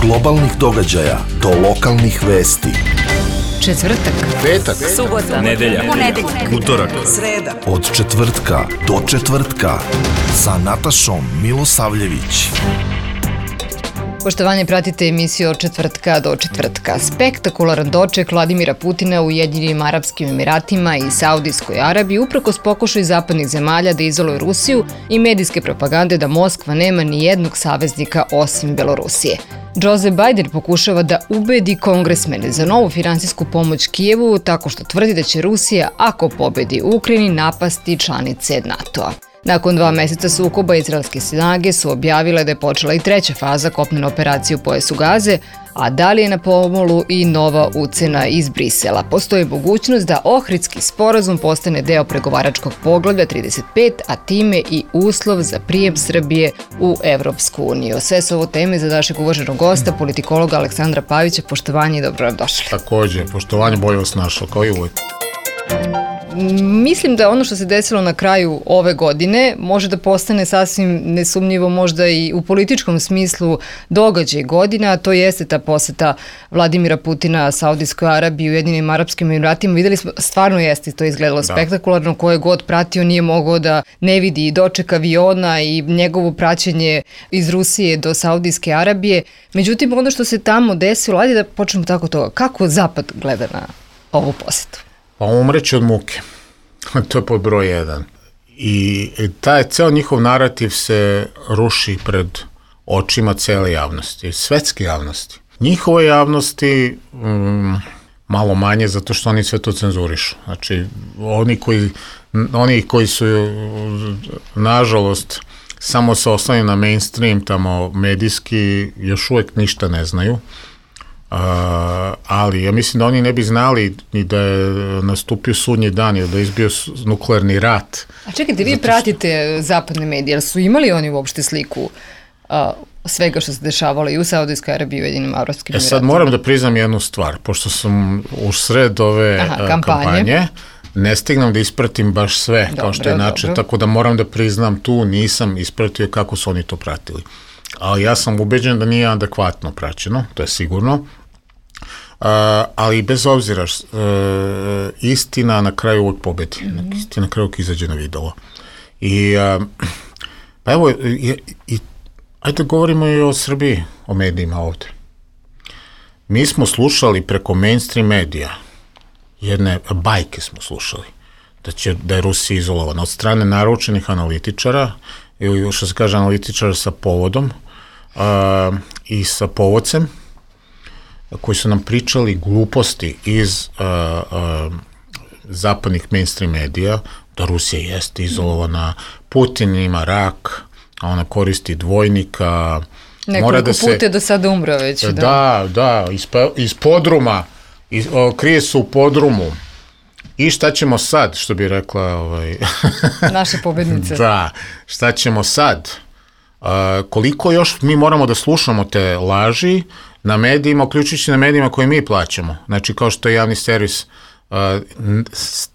globalnih događaja do lokalnih vesti. Četvrtak, petak, subota, nedelja, utorak, sreda. Od četvrtka do četvrtka sa Natašom Milosavljević. Poštovanje, pratite emisiju Od četvrtka do četvrtka. Spektakularan doček Vladimira Putina u Ujedinjenim Arapskim Emiratima i Saudijskoj Arabiji uprkos pokušaju zapadnih zemalja da izoluje Rusiju i medijske propagande da Moskva nema ni jednog saveznika osim Belorusije. Joe Biden pokušava da ubedi kongresmene za novu finansijsku pomoć Kijevu tako što tvrdi da će Rusija, ako pobedi u Ukrajini, napasti članice NATO-a. Nakon 2 meseca sukoba, izraelske snage su objavile da je počela i 3. faza kopnene operacije u pojasu Gaze, a da li je na pomolu i nova ucena iz Brisela. Postoji mogućnost da Ohridski sporazum postane deo pregovaračkog poglavlja 35, a time i uslov za prijem Srbije u Evropsku uniju. Sve su ovo teme za našeg uvaženog gosta, politikologa Aleksandra Pavića. Poštovanje i dobro nam došli. Takođe, poštovanje, bolje vas našao, kao i uvijek. Mislim da ono što se desilo na kraju ove godine može da postane sasvim nesumnjivo možda i u političkom smislu događaj godina, a to jeste ta poseta Vladimira Putina Saudijskoj Arabiji i Ujedinjenim Arapskim Emiratima. Videli smo, stvarno jeste, to je izgledalo spektakularno, ko je god pratio nije mogao da ne vidi i doček aviona i njegovo praćenje iz Rusije do Saudijske Arabije. Međutim, ono što se tamo desilo, ajde da počnemo tako toga, kako Zapad gleda na ovu posetu? Pa umreće od muke. To je pod broj 1. I taj ceo njihov narativ se ruši pred očima cele javnosti, svetske javnosti. Njihove javnosti malo manje zato što oni sve to cenzurišu. Znači, oni koji su nažalost samo se oslanjaju na mainstream, tamo medijski, još uvek ništa ne znaju. Ali ja mislim da oni ne bi znali ni da je nastupio sudnji dan ili da je izbio nuklearni rat. A čekajte, vi pratite zapadne medije, ali su imali oni uopšte sliku svega što se dešavalo i u Saudijskoj Arabiji i Ujedinjenim Arapskim Emiratima? Sad moram da priznam jednu stvar, pošto sam u sred ove kampanje, ne stignem da ispratim baš sve, kao što je način, tako da moram da priznam tu nisam ispratio kako su oni to pratili. Ali ja sam ubeđen da nije adekvatno praćeno, to je sigurno. Ali bez obzira, istina na kraju uvijek pobedi. Istina na kraju uvijek izađe na videlo. I pa evo, ajde govorimo i o Srbiji, o medijima ovde. Mi smo slušali preko mainstream medija, jedne bajke smo slušali, da je Rusija izolovana od strane naručenih analitičara, ili što se kaže analitičara sa povodom i sa povodcem, koji su nam pričali gluposti iz zapadnih mainstream medija, da Rusija jeste izolovana, Putin ima rak, a ona koristi dvojnika. Nekoliko puta do sada umro već. Da, iz podruma, krije se u podrumu. I šta ćemo sad, što bi rekla naša pobednica. Da, šta ćemo sad? Koliko još mi moramo da slušamo te laži na medijima, uključujući na medijima koje mi plaćamo. Znači, kao što je javni servis,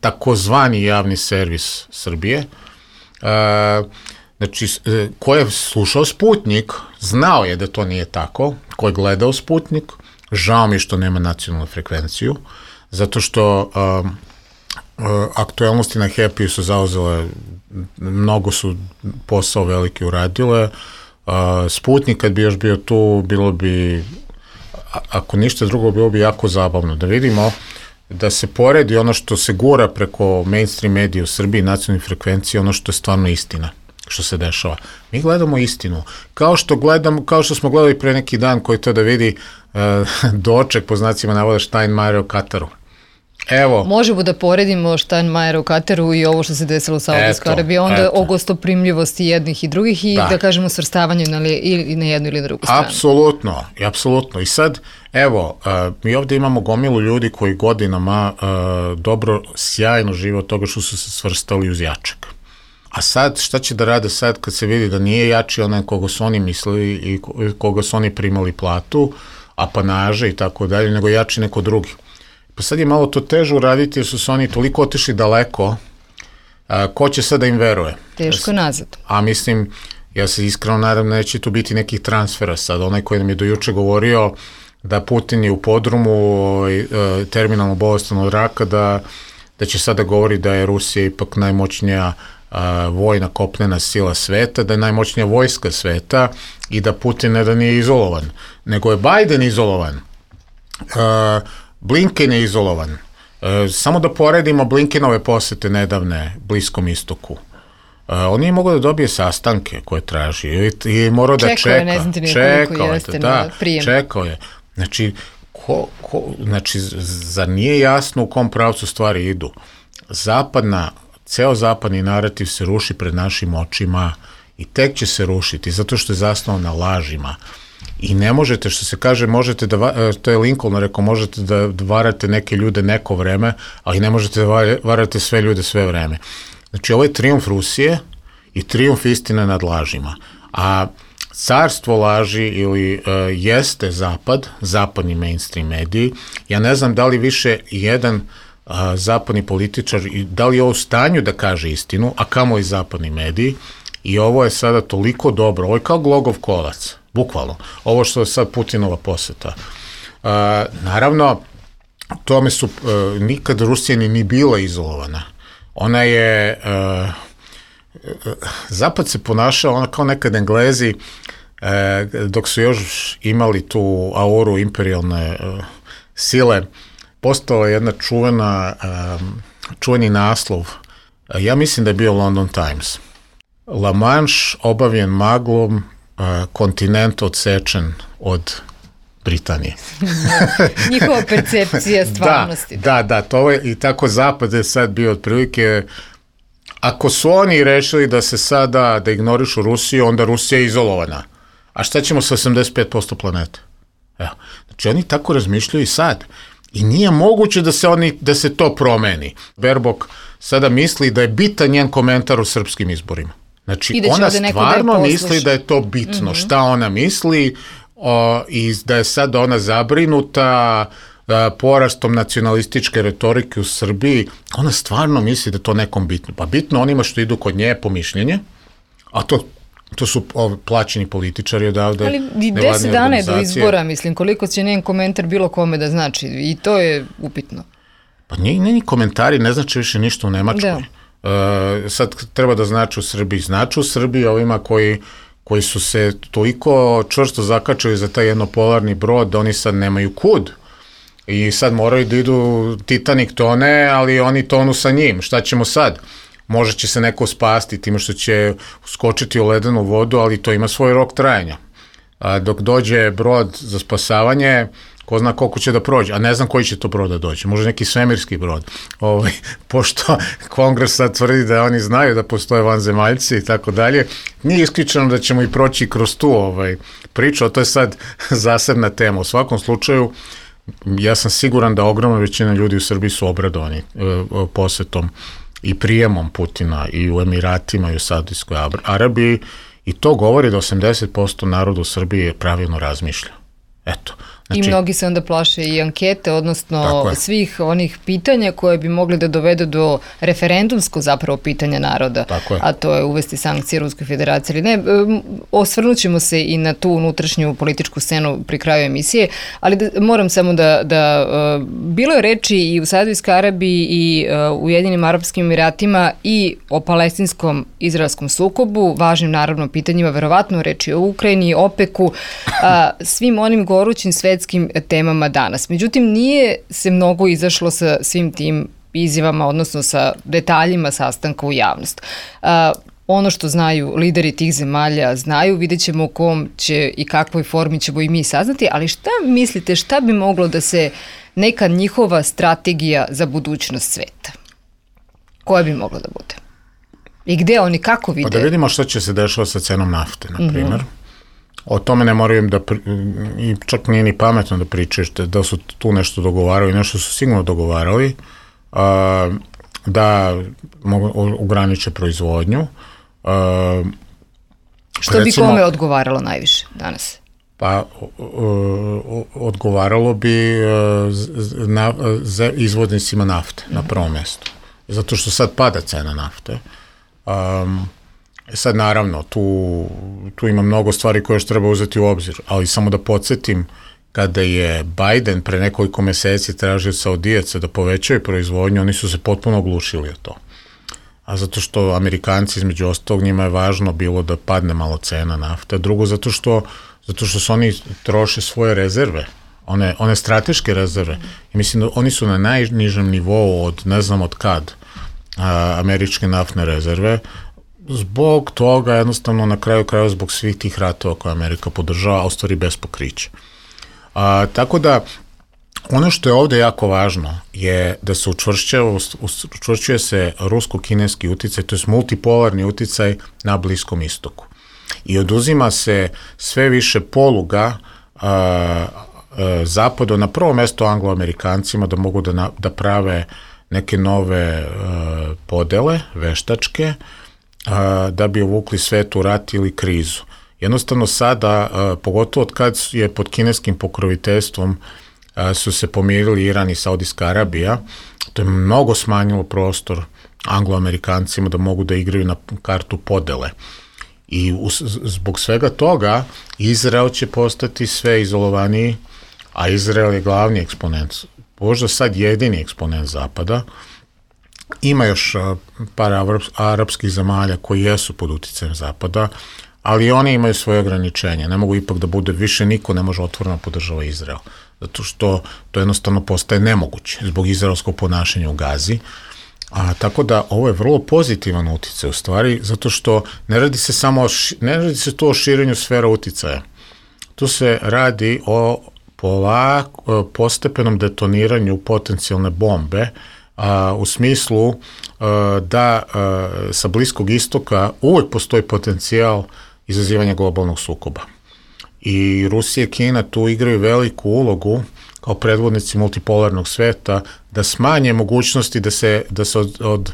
takozvani javni servis Srbije, znači, ko je slušao Sputnik, znao je da to nije tako, ko je gledao Sputnik, žao mi što nema nacionalnu frekvenciju, zato što aktuelnosti na Happy su zauzele, mnogo su posao veliki uradile. Sputnik kad bi još bio tu, bilo bi, ako ništa drugo, bilo bi jako zabavno da vidimo, da se poredi ono što se gura preko mainstream medija u Srbiji, nacionalnih frekvencija, ono što je stvarno istina, što se dešava. Mi gledamo istinu. Kao što smo gledali pre neki dan, koji to da vidi doček, po znacima navoda, Steinmeiera u Kataru. Evo. Možemo da poredimo Steinmeiera u Kataru i ovo što se desilo u Saudijskoj Arabiji, onda o gostoprimljivosti jednih i drugih i da kažemo svrstavanju ili na jednu ili na drugu stranu. Apsolutno. I sad, evo, mi ovde imamo gomilu ljudi koji godinama dobro, sjajno žive od toga što su se svrstali uz jačeg. A sad, šta će da rade sad kad se vidi da nije jači onaj koga su oni mislili i koga su oni primali platu, apanaže i tako dalje, nego jači neko drugi. Pa sad je malo to teže uraditi jer su se oni toliko otišli daleko, ko će sad da im veruje? Teško nazad. A mislim, Ja se iskreno nadam da neće tu biti nekih transfera sad. Onaj koji nam je do juče govorio da Putin je u podrumu terminalno bolestan od raka, da će sada govori da je Rusija ipak najmoćnija vojna kopnena sila sveta, da je najmoćnija vojska sveta i da Putin ne da nije izolovan, nego je Biden izolovan, Blinken je izolovan. Samo da poredimo Blinkenove posete nedavne Bliskom istoku. On nije mogao da dobije sastanke koje traži i morao da čeka. Ne znam ti koliko jeste na prijem. Čekao je. Znači, zar nije jasno u kom pravcu stvari idu? Ceo zapadni narativ se ruši pred našim očima i tek će se rušiti, zato što je zasnovan na lažima. I ne možete, što se kaže, to je Lincoln rekao, možete da varate neke ljude neko vreme, ali ne možete da varate sve ljude sve vreme. Znači, ovo je trijumf Rusije i trijumf istine nad lažima. A carstvo laži ili jeste zapadni mainstream mediji. Ja ne znam da li više jedan zapadni političar, da li je u stanju da kaže istinu, a kamo i zapadni mediji. I ovo je sada toliko dobro, ovo je kao glogov kolac, bukvalno. Ovo što je sad Putinova poseta. Naravno, tome su nikad Rusija ni bila izolovana. Ona je, Zapad se ponašao ona kao nekad Englezi, dok su još imali tu auru imperijalne sile, postala jedna čuveni naslov, ja mislim da je bio London Times. La Manche obavljen maglom, kontinent odsečen od Britanije. Njihova percepcija stvarnosti. Da, to je i tako Zapad je sad bio otprilike, ako su oni rešili da se sada, da ignorišu Rusiju, onda Rusija je izolovana. A šta ćemo sa 85% planete? Evo. Znači oni tako razmišljaju i sad. I nije moguće da se to promeni. Baerbock sada misli da je bitan njen komentar u srpskim izborima. Znači ona stvarno misli da je to bitno. Šta ona misli i da je sad ona zabrinuta porastom nacionalističke retorike u Srbiji. Ona stvarno misli da je to nekom bitno. Pa bitno onima što idu kod nje po mišljenje, a to su plaćeni političari odavde. Ali 10 dana je do izbora, mislim, koliko će njen komentar bilo kome da znači, i to je upitno. Pa njeni komentari ne znači više ništa u Nemačkoj. Sad treba da znači u Srbiji ovima koji su se toliko čvrsto zakačili za taj jednopolarni brod da oni sad nemaju kud. I sad moraju da idu, Titanic tone, ali oni tonu sa njim. Šta ćemo sad? Možda će se neko spasti time što će skočiti u ledenu vodu, ali to ima svoj rok trajanja. Dok dođe brod za spasavanje, ko zna koliko će da prođe, a ne znam koji će to brod da dođe, možda neki svemirski brod. Pošto Kongres sad tvrdi da oni znaju da postoje vanzemaljci i tako dalje, nije isključeno da ćemo i proći kroz tu priču, a to je sad zasebna tema. U svakom slučaju, ja sam siguran da ogromna većina ljudi u Srbiji su obradovani posetom i prijemom Putina i u Emiratima i u Saudijskoj Arabiji, i to govori da 80% naroda u Srbiji pravilno razmišlja. Eto. Znači, i mnogi se onda plaše i ankete, odnosno svih onih pitanja koje bi mogli da dovedu do referendumskog zapravo pitanja naroda, a to je uvesti sankcije Ruskoj federaciji ili ne. Osvrnut ćemo se i na tu unutrašnju političku scenu pri kraju emisije, ali moram samo da bilo je reči i u Saudijskoj Arabiji i u Ujedinjenim Arapskim Emiratima i o palestinskom izraelskom sukobu, važnim naravno pitanjima, verovatno reči o Ukrajini, OPEC-u, svim onim gorućim svetskim temama danas. Međutim, nije se mnogo izašlo sa svim tim izjavama, odnosno sa detaljima sastanka u javnost. Ono što znaju lideri tih zemalja znaju, vidjet ćemo u kom će i kakvoj formi ćemo i mi saznati, ali šta mislite, šta bi moglo da se neka njihova strategija za budućnost sveta? Koja bi mogla da bude? I gde oni, kako vide? Pa da vidimo što će se dešavati sa cenom nafte, na primjer. O tome ne moraju i čak nije ni pametno da pričaš da su tu nešto dogovarali, nešto su sigurno dogovarali, da ograniče proizvodnju. Što bi kome odgovaralo najviše danas? Pa odgovaralo bi izvoznicima nafte na prvom mjestu. Zato što sad pada cena nafte. Sad naravno, tu ima mnogo stvari koje još treba uzeti u obzir, ali samo da podsjetim, kada je Biden pre nekoliko meseci tražio Saudijaca da povećaju proizvodnju, oni su se potpuno oglušili o to. A zato što Amerikanci, između ostalog, njima je važno bilo da padne malo cena nafta. Drugo, zato što su oni troše svoje rezerve, one strateške rezerve. I mislim da oni su na najnižem nivou od ne znam od kad američke naftne rezerve. Zbog toga, jednostavno, na kraju krajeva, zbog svih tih ratova koje Amerika podržava, a u stvari bez pokrića. Tako da, ono što je ovde jako važno je da se učvršćuje se rusko-kineski uticaj, to je multipolarni uticaj na Bliskom istoku. I oduzima se sve više poluga Zapadu, na prvo mesto Anglo-Amerikancima, da mogu da prave neke nove podele, veštačke, da bi uvukli svet u rat ili krizu. Jednostavno sada, pogotovo od kad je pod kineskim pokroviteljstvom su se pomirili Iran i Saudijska Arabija, to je mnogo smanjilo prostor Anglo-Amerikancima da mogu da igraju na kartu podele. I zbog svega toga Izrael će postati sve izolovaniji, a Izrael je glavni eksponent, možda sad jedini eksponent Zapada. Ima još par arapskih zemalja koji jesu pod uticajem Zapada, ali oni imaju svoje ograničenja. Ne mogu ipak da bude više, niko ne može otvoreno podržava Izrael, zato što to jednostavno postaje nemoguće zbog izraelskog ponašanja u Gazi. Tako da ovo je vrlo pozitivan uticaj u stvari, zato što ne radi se to o širenju sfera uticaja. Tu se radi o postepenom detoniranju potencijalne bombe, u smislu da sa Bliskog istoka uvek postoji potencijal izazivanja globalnog sukoba. I Rusija i Kina tu igraju veliku ulogu kao predvodnici multipolarnog sveta da smanje mogućnosti da se od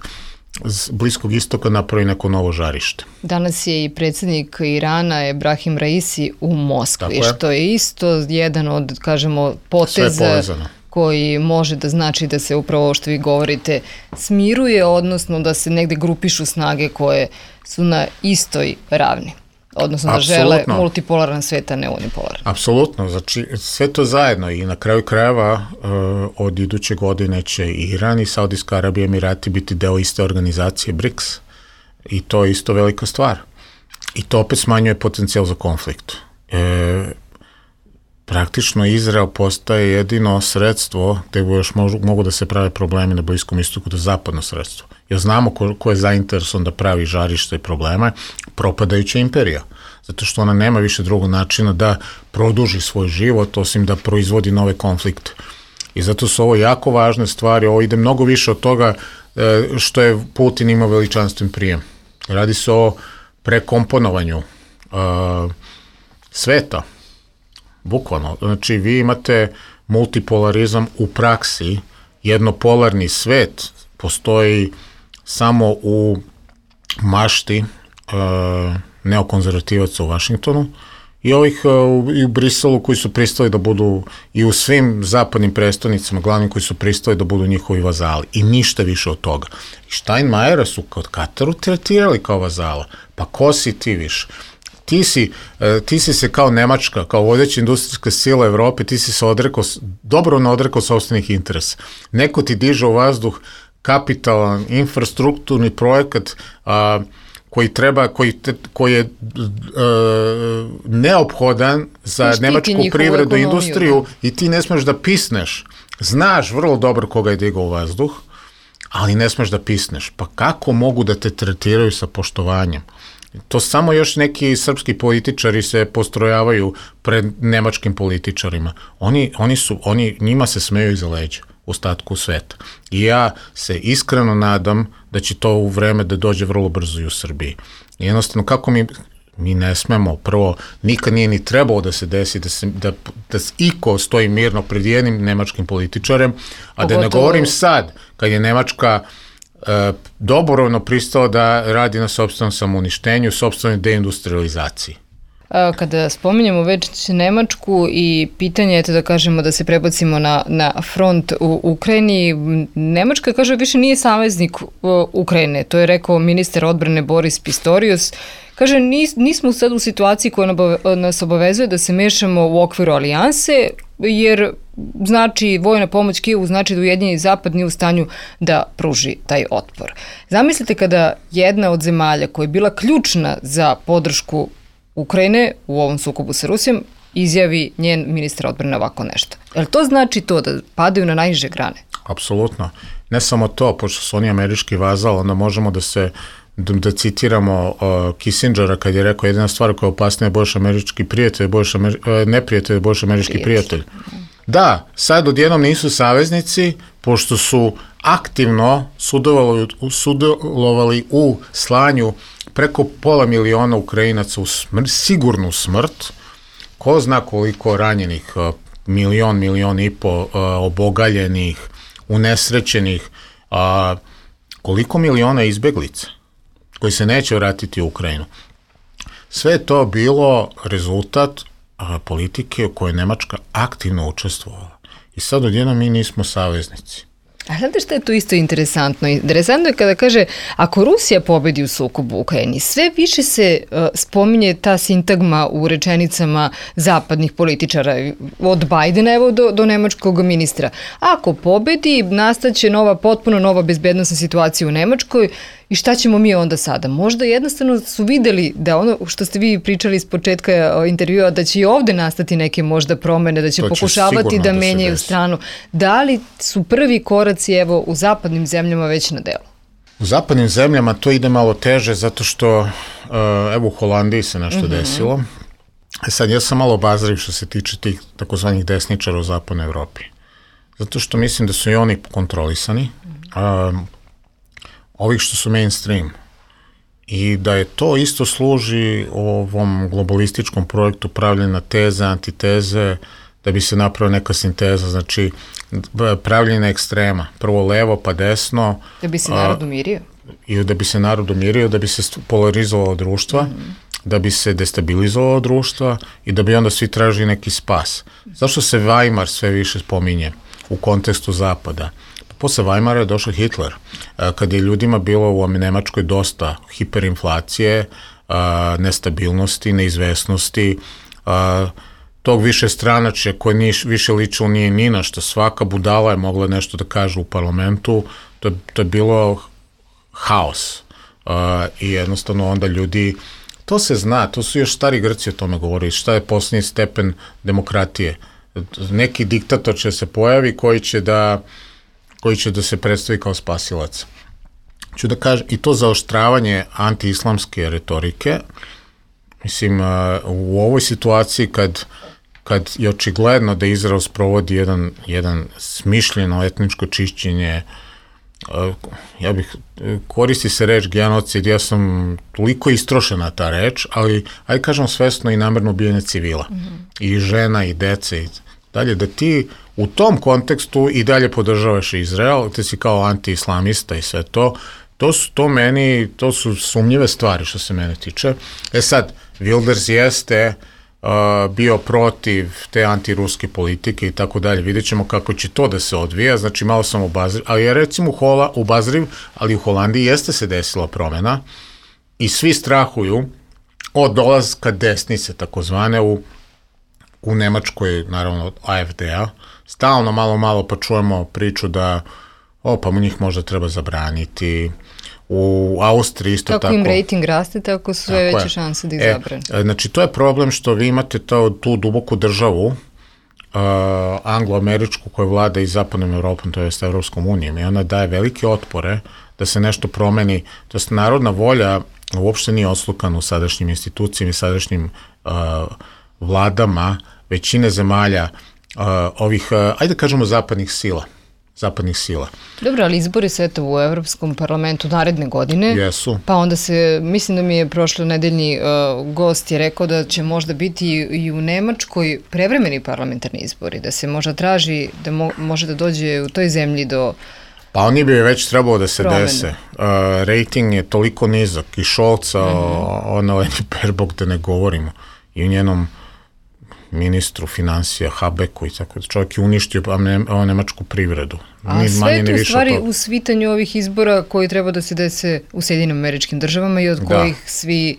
Bliskog istoka napravi neko novo žarište. Danas je i predsjednik Irana Ebrahim Raisi u Moskvi, što je isto jedan od, kažemo, poteza koji može da znači da se upravo, što vi govorite, smiruje, odnosno da se negde grupišu snage koje su na istoj ravni. Odnosno da žele multipolaran svet, a ne unipolaran. Apsolutno, znači sve to zajedno i na kraju krajeva od iduće godine će Iran i Saudijska Arabija i Emirati biti deo iste organizacije BRICS i to je isto velika stvar. I to opet smanjuje potencijal za konflikt. Praktično Izrael postaje jedino sredstvo gde još mogu da se prave problemi na Bliskom istoku, da zapadno sredstvo. Jer znamo ko je zainteresovan da pravi žarište i probleme, propadajuća imperija. Zato što ona nema više drugog načina da produži svoj život, osim da proizvodi nove konflikte. I zato su ovo jako važne stvari, ovo ide mnogo više od toga što je Putin imao veličanstven prijem. Radi se o prekomponovanju sveta. Bukvalno. Znači, vi imate multipolarizam u praksi, jednopolarni svet postoji samo u mašti neokonzervativaca u Vašingtonu i ovih i u Briselu koji su pristali da budu i u svim zapadnim prestonicama, glavnim koji su pristali da budu njihovi vazali i ništa više od toga. I Steinmeiera su kod Kataru tretirali kao vazala. Pa ko si ti više? Ti si se kao Nemačka, kao vodeća industrijska sila Evrope, ti si se dobrovoljno odrekao sopstvenih interesa. Neko ti diže u vazduh kapitalan infrastrukturni projekat koji je neophodan za nemačku privredu i industriju i ti ne smeš da pisneš. Znaš vrlo dobro koga je digao u vazduh, ali ne smeš da pisneš. Pa kako mogu da te tretiraju sa poštovanjem? To samo još neki srpski političari se postrojavaju pred nemačkim političarima. Njima se smeju iza leđa u ostatku sveta. I ja se iskreno nadam da će to u vreme da dođe vrlo brzo i u Srbiji. Jednostavno, kako mi ne smemo, prvo, nikad nije ni trebalo da se desi da iko stoji mirno pred jednim nemačkim političarem, a da ne govorim sad, kad je Nemačka dobrovoljno pristala da radi na sopstvenom samouništenju, sopstvenoj deindustrializaciji. kada spominjemo već Nemačku i pitanje, eto da kažemo da se prebacimo na front u Ukrajini, Nemačka, kaže, više nije saveznik Ukrajine, to je rekao ministar odbrane Boris Pistorius. Kaže, nismo sad u situaciji koja nas obavezuje da se mešamo u okviru alijanse, jer znači vojna pomoć Kijevu znači da Ujedinjeni Zapad nije u stanju da pruži taj otpor. Zamislite kada jedna od zemalja koja je bila ključna za podršku Ukrajine u ovom sukobu sa Rusijom izjavi njen ministar odbrane ovako nešto. Jel to znači to da padaju na najniže grane? Apsolutno. Ne samo to, pošto su oni američki vazal, onda možemo da citiramo Kissingera kad je rekao jedina stvar koja je opasnija je boljši američki prijatelj, neprijatelj je boljši američki prijatelj. Da, sad odjednom nisu saveznici, pošto su aktivno sudjelovali u slanju preko 500 000 Ukrajinaca u sigurnu smrt, ko zna koliko ranjenih, 1,5 obogaljenih, unesrećenih, koliko miliona izbeglica koji se neće vratiti u Ukrajinu. Sve je to bilo rezultat politike u kojoj je Nemačka aktivno učestvovala. I sad odjednom mi nismo saveznici. A znate što je tu isto interesantno? Interesantno je kada kaže, ako Rusija pobedi u sukobu u Ukrajini, sve više se spominje ta sintagma u rečenicama zapadnih političara, od Bajdena evo do nemačkog ministra. Ako pobedi, nastaće potpuno nova bezbednosna situacija u Nemačkoj i šta ćemo mi onda sada? Možda jednostavno su videli da ono što ste vi pričali iz početka intervjua, da će i ovde nastati neke možda promene, da će pokušavati da menjaju stranu. Da li su prvi koraci evo u zapadnim zemljama već na delu? U zapadnim zemljama to ide malo teže zato što evo u Holandiji se nešto desilo. Sad ja sam malo obazriv što se tiče tih takozvanih desničara u zapadnoj Evropi. Zato što mislim da su i oni kontrolisani. Ovih što su mainstream i da je to isto služi ovom globalističkom projektu pravljena teze, antiteze, da bi se napravila neka sinteza, znači pravljena ekstrema, prvo levo pa desno. Da bi se narod umirio? I da bi se narod umirio, da bi se polarizovalo društva, da bi se destabilizovalo društva i da bi onda svi tražili neki spas. Zašto se Weimar sve više spominje u kontekstu Zapada? Posle Weimara je došao Hitler, kad je ljudima bilo u Nemačkoj dosta hiperinflacije, nestabilnosti, neizvesnosti, tog više stranačja koje više ličilo nije ni na što, svaka budala je mogla nešto da kaže u parlamentu, to je bilo haos i jednostavno onda ljudi, to se zna, to su još stari Grci o tome govorili, šta je posljednji stepen demokratije. Neki diktator će se pojavi koji će da se predstavi kao spasilac. Ću da kažem, i to zaoštravanje anti-islamske retorike, mislim, u ovoj situaciji kad je očigledno da Izrael sprovodi jedan smišljeno etničko čišćenje, koristi se reč genocid, ja sam toliko istrošena ta reč, ali ajde kažem svesno i namerno ubijanje civila, i žena i dece i dalje, da ti u tom kontekstu i dalje podržavaš Izrael, te si kao anti-islamista i sve to, to su sumnjive stvari što se mene tiče. Sad, Wilders jeste bio protiv te antiruske politike i tako dalje. Vidjet ćemo kako će to da se odvija, znači malo sam obazriv, ali je recimo obazriv, ali u Holandiji jeste se desila promena i svi strahuju od dolazka desnice, takozvane u Nemačkoj, naravno od AfD-a, stalno malo pa čujemo priču da pa mu njih možda treba zabraniti, u Austriji isto tako. Kako im rating raste, tako su sve veće šanse da ih zabrane. Znači, to je problem što vi imate tu duboku državu, anglo-američku, koja vlada i zapadnom Evropom, to je s Evropskom unijom, i ona daje velike otpore da se nešto promeni. To je narodna volja uopšte nije oslukana u sadašnjim institucijama i sadašnjim vladama većine zemalja ovih, ajde kažemo, zapadnih sila. Dobro, ali izbori se eto u Evropskom parlamentu naredne godine. Jesu. Pa onda mislim da mi je prošlo nedeljni gost je rekao da će možda biti i u Nemačkoj prevremeni parlamentarni izbori, da se možda traži, da može da dođe u toj zemlji do Pa oni bi već trebalo da se dese. Rating je toliko nizak i Scholza, Annalena Baerbock da ne govorimo. i u njenom ministru finansija Habeku i tako da čovjek je uništio nemačku privredu. A sve to u stvari u svitanju ovih izbora koji treba da se dese u Sjedinim Američkim Državama i od kojih svi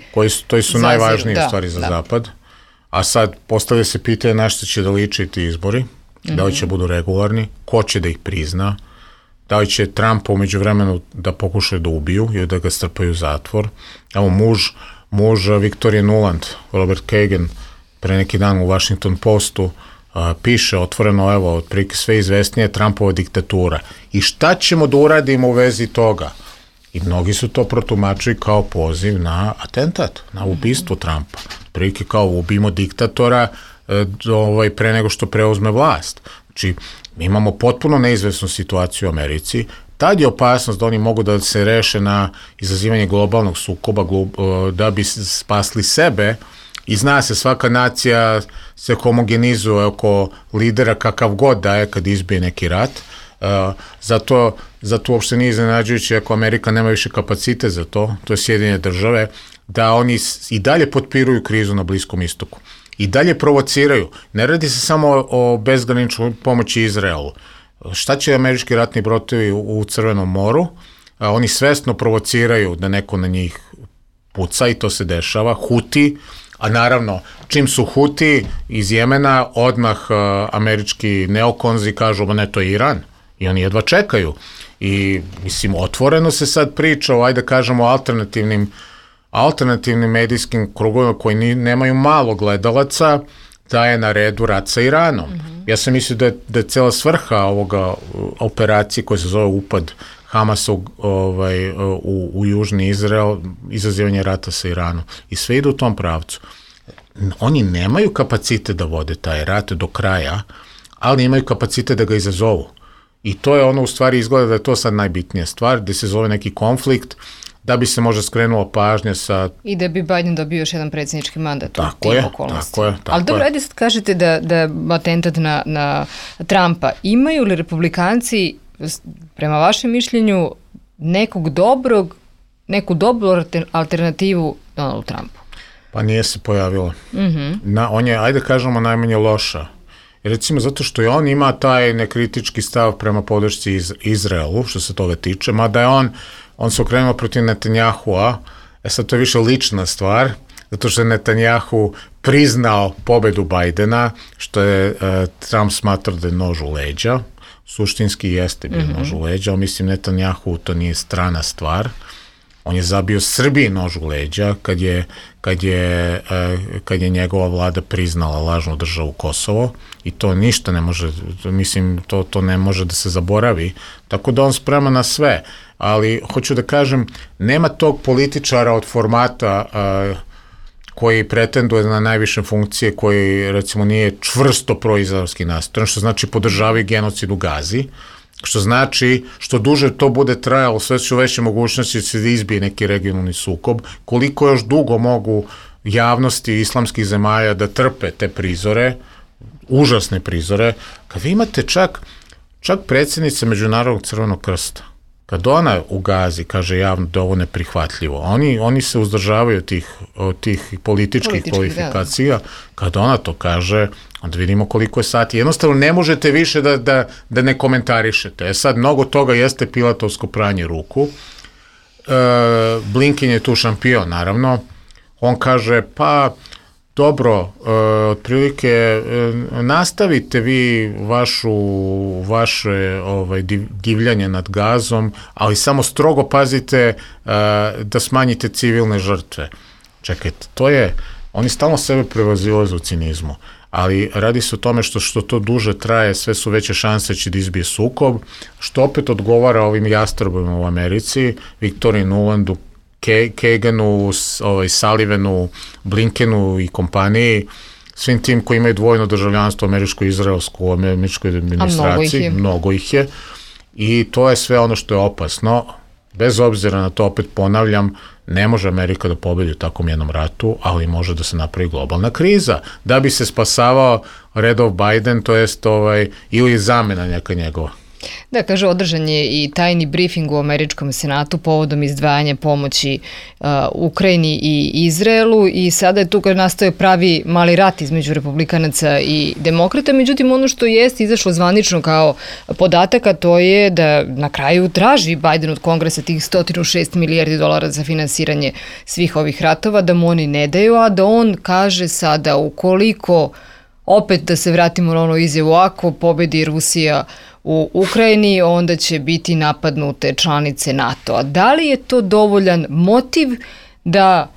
to su najvažnije stvari za Zapad. A sad postavlja se pitanje na što će da liče ti izbori, da li će budu regularni, ko će da ih prizna, da li će Trumpa umeđu vremenu da pokušaju da ubiju ili da ga strpaju u zatvor. Evo muž Victoria Nuland, Robert Kagan, pre neki dan u Washington Postu piše otvoreno, evo, otprilike sve izvesnije Trumpova diktatura. I šta ćemo da uradimo u vezi toga? I mnogi su to protumačili kao poziv na atentat, na ubistvo Trumpa. Otprilike kao ubijemo diktatora pre nego što preuzme vlast. Znači, mi imamo potpuno neizvesnu situaciju u Americi. Tad je opasnost da oni mogu da se reše na izazivanje globalnog sukoba da bi spasli sebe. I zna se, svaka nacija se homogenizuje oko lidera kakav god da je kad izbije neki rat. Zato uopšte nije iznenađujuće ako Amerika nema više kapacite za to je Sjedinjene Države, da oni i dalje potpiruju krizu na Bliskom istoku. I dalje provociraju. Ne radi se samo o bezgraničnoj pomoći Izraelu. Šta će američki ratni brodovi u Crvenom moru? Oni svesno provociraju da neko na njih puca i to se dešava. Huti, a naravno, čim su Huti iz Jemena, odmah američki neokonzi kažu, ne, to je Iran. I oni jedva čekaju. I, mislim, otvoreno se sad priča o, ajde kažemo, alternativnim medijskim krugovima koji nemaju malo gledalaca, da je na redu rat sa Iranom. Ja sam mislio da je cela svrha ovoga operacije koja se zove upad Hamasa u Južni Izrael, izazivanje rata sa Iranom. I sve ide u tom pravcu. Oni nemaju kapacite da vode taj rat do kraja, ali imaju kapacite da ga izazovu. I to je ono, u stvari izgleda da je to sad najbitnija stvar, da se zove neki konflikt, da bi se možda skrenulo pažnja sa... I da bi Biden dobio još jedan predsjednički mandat u tim okolnostima. Tako je. Ali dobro, ajde sad kažete da je atentat na Trumpa. Imaju li republikanci, prema vašem mišljenju, neku dobru alternativu Donaldu Trumpu? Pa nije se pojavila. On je, ajde kažemo, najmanje loša. Recimo zato što i on ima taj nekritički stav prema podršci Izraelu, što se toga tiče, mada je on se okrenuo protiv Netanjahua, sad to je više lična stvar, zato što je Netanjahu priznao pobedu Bajdena, što je Trump smatrao da je nož u leđa, suštinski jeste bio nož u leđa, ali mislim Netanjahu to nije strana stvar. On je zabio Srbiji nož u leđa kad je njegova vlada priznala lažnu državu Kosovo i to ništa ne može, mislim, to ne može da se zaboravi. Tako da on sprema na sve, ali hoću da kažem, nema tog političara od formata koji pretenduje na najviše funkcije, koji recimo nije čvrsto proizraelski nastrojen, što znači podržavaju genocid u Gazi, što znači, što duže to bude trajalo, sve su veće mogućnosti da se izbije neki regionalni sukob, koliko još dugo mogu javnosti islamskih zemalja da trpe te prizore, užasne prizore, kad vi imate čak predsjednica Međunarodnog Crvenog krsta, kad ona u Gazi kaže javno da ovo neprihvatljivo, oni se uzdržavaju od tih političkih kvalifikacija, kad ona to kaže, onda vidimo koliko je sati. Jednostavno ne možete više da ne komentarišete. Sad, mnogo toga jeste pilatovsko pranje ruku. Blinken je tu šampion, naravno. On kaže, pa dobro, otprilike nastavite vi vaše divljanje nad Gazom, ali samo strogo pazite da smanjite civilne žrtve. Čekajte, oni stalno sebe prevazilaze u cinizmu, ali radi se o tome što to duže traje, sve su veće šanse će da izbije sukob, što opet odgovara ovim jastrbima u Americi, Victoria Nulandu, Kaganu, Sullivanu, Blinkenu i kompaniji, svim tim koji imaju dvojno državljanstvo američko-izraelsko u američkoj administraciji, mnogo ih je, i to je sve ono što je opasno. Bez obzira na to, opet ponavljam, ne može Amerika da pobedi u takvom jednom ratu, ali može da se napravi globalna kriza, da bi se spasavao redov Biden, to jest ili zamena neka njegova. Da, kaže, održan je i tajni briefing u američkom senatu povodom izdvajanja pomoći Ukrajini i Izraelu i sada je tu nastao pravi mali rat između republikanaca i demokrata. Međutim, ono što jeste izašlo zvanično kao podataka, to je da na kraju traži Biden od Kongresa tih 106 milijardi dolara za finansiranje svih ovih ratova, da mu oni ne daju, a da on kaže sada ukoliko, opet da se vratimo na ono izjavu, ako pobedi Rusija u Ukrajini, onda će biti napadnute članice NATO-a. Da li je to dovoljan motiv da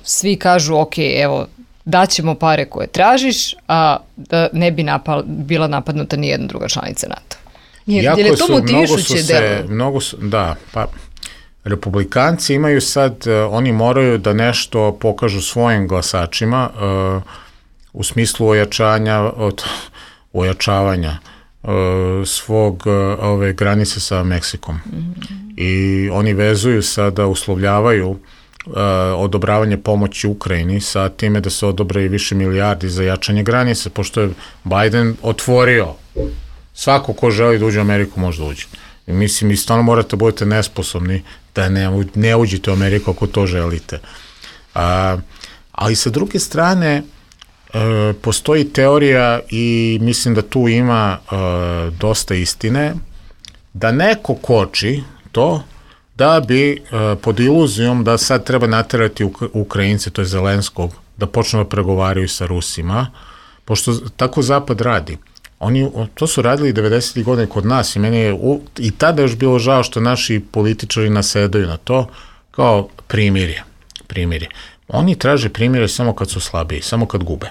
svi kažu, ok, evo, daćemo pare koje tražiš, a da ne bi bila napadnuta ni jedna druga članica NATO-a? Jer je to motivišuće delo? Da, pa republikanci imaju sad, oni moraju da nešto pokažu svojim glasačima u smislu ojačavanja svog ove granice sa Meksikom. I oni vezuju sada, uslovljavaju odobravanje pomoći Ukrajini sa time da se odobre i više milijardi za jačanje granice, pošto je Biden otvorio svako ko želi da uđe u Ameriku može da uđe. I mislim, i stvarno morate budete nesposobni da ne uđete u Ameriku ako to želite. Ali sa druge strane, postoji teorija i mislim da tu ima dosta istine, da neko koči to da bi pod iluzijom da sad treba naterati Ukrajince, to je Zelenskog, da počnu da pregovaraju sa Rusima, pošto tako Zapad radi. Oni to su radili 90. godine kod nas i meni je i tada još bilo žao što naši političari nasedaju na to kao primirje. Oni traže primirje samo kad su slabiji, samo kad gube.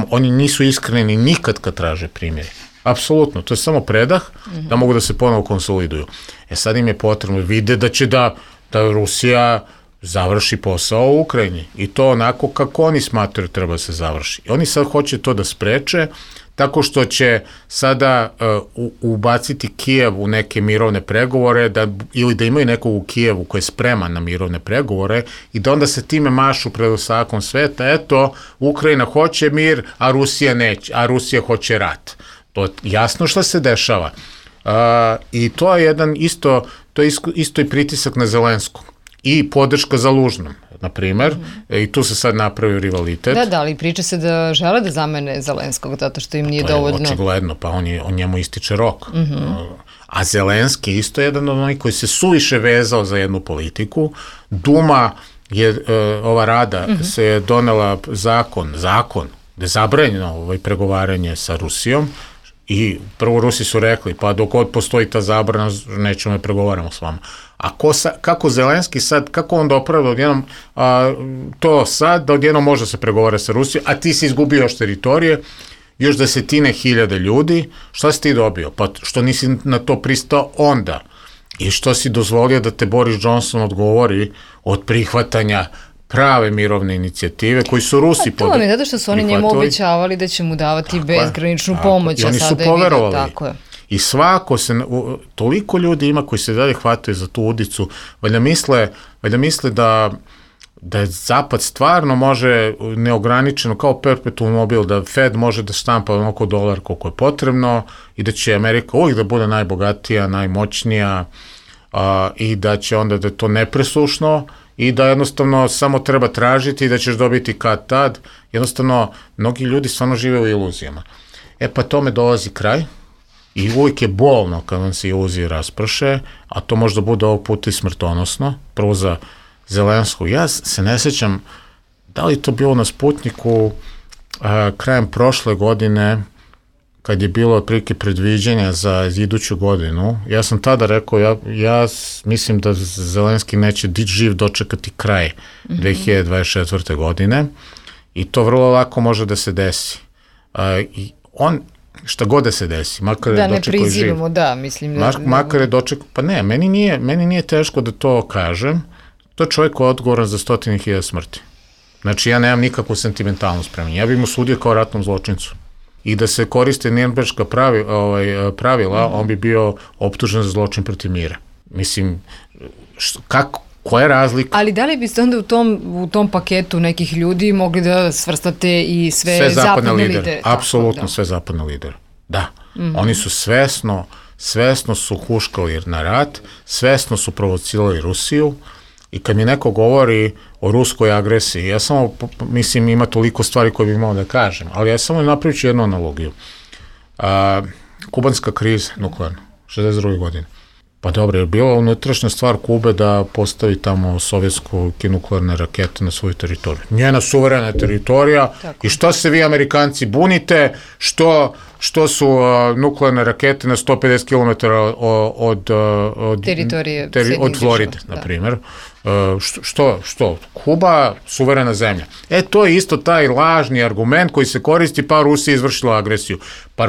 Oni nisu iskreni nikad kad traže primirje. Apsolutno, to je samo predah da mogu da se ponovo konsoliduju. Sad im je potrebno, vide da će da Rusija završi posao u Ukrajini i to onako kako oni smatraju treba da se završi. I oni sad hoće to da spreče tako što će sada ubaciti Kijev u neke mirovne pregovore ili da imaju nekog u Kijevu koji je spreman na mirovne pregovore i da onda se time mašu pred ostatkom sveta. Eto, Ukrajina hoće mir, a Rusija neće, a Rusija hoće rat. To je jasno što se dešava. I to je isto i pritisak na Zelenskog i podrška za Lužnom, na primer, i tu se sad napravio rivalitet. Da, ali priča se da žele da zamene Zelenskog, zato što im nije dovoljno. Očigledno, pa on njemu ističe rok. A Zelenski isto je jedan od onih koji se suviše vezao za jednu politiku. Duma ova rada se je donela zakon, gde je zabranjeno pregovaranje sa Rusijom i prvo Rusi su rekli, pa dok god postoji ta zabrana, nećemo da pregovaramo s vama. A kako Zelenski sad, kako on dopravlja odjednom to sad, da odjednom može se pregovara sa Rusijom, a ti si izgubio još teritorije, još 10.000 ljudi, šta si ti dobio? Pa što nisi na to pristao onda? I što si dozvolio da te Boris Johnson odgovori od prihvatanja prave mirovne inicijative koji su Rusi to vam je zato što su oni njemu obećavali da će mu davati bezgraničnu pomoć. I oni su poverovali. I toliko ljudi ima koji se dalje hvataju za tu udicu, valjda misle da Zapad stvarno može neograničeno, kao perpetuum mobil, da Fed može da štampa oko $1 koliko je potrebno i da će Amerika uvijek da bude najbogatija, najmoćnija i da će onda da je to nepresušno i da jednostavno samo treba tražiti i da ćeš dobiti kad tad. Jednostavno, mnogi ljudi stvarno žive u iluzijama. Pa tome dolazi kraj. I uvijek je bolno kad vam se iluzije rasprše, a to možda bude ovog puta i smrtonosno, prvo za Zelenskog. Ja se ne sjećam da li to bilo na Sputniku krajem prošle godine, kad je bilo otprilike predviđanja za iduću godinu. Ja sam tada rekao, ja mislim da Zelenski neće živ dočekati kraj 2024. godine i to vrlo lako može da se desi. I on šta god da se desi, makar je dočekao živ. Da, ne prizivamo, da, mislim. Makar je dočekao, pa ne, meni nije teško da to kažem, to je čovjek koji je odgovoran za 100.000 smrti. Znači, ja nemam nikakvu sentimentalnost prema njemu. Ja bih mu sudio kao ratnom zločincu. I da se koriste Nürnberška pravila, on bi bio optužen za zločin protiv mira. Mislim, koja je razlika? Ali da li biste onda u tom paketu nekih ljudi mogli da svrstate i sve zapadne lidere? Apsolutno sve zapadne lidere. Da. Oni su svesno svesno su huškali na rat, svesno su provocirali Rusiju i kad mi neko govori o ruskoj agresiji, ja samo, mislim, ima toliko stvari koje bih imao da kažem, ali ja samo napravit ću jednu analogiju. Kubanska kriza, nuklearna, 62. godine. Pa dobro, je bila unutrašnja stvar Kube da postavi tamo sovjetske nuklearne rakete na svoju teritoriju. Njena suverena teritorija. Tako. I šta se vi Amerikanci bunite, što su nuklearne rakete na 150 km od teritorije od Floride, na primjer. Što? Kuba, suverena zemlja. To je isto taj lažni argument koji se koristi, pa Rusija izvršila agresiju. Pa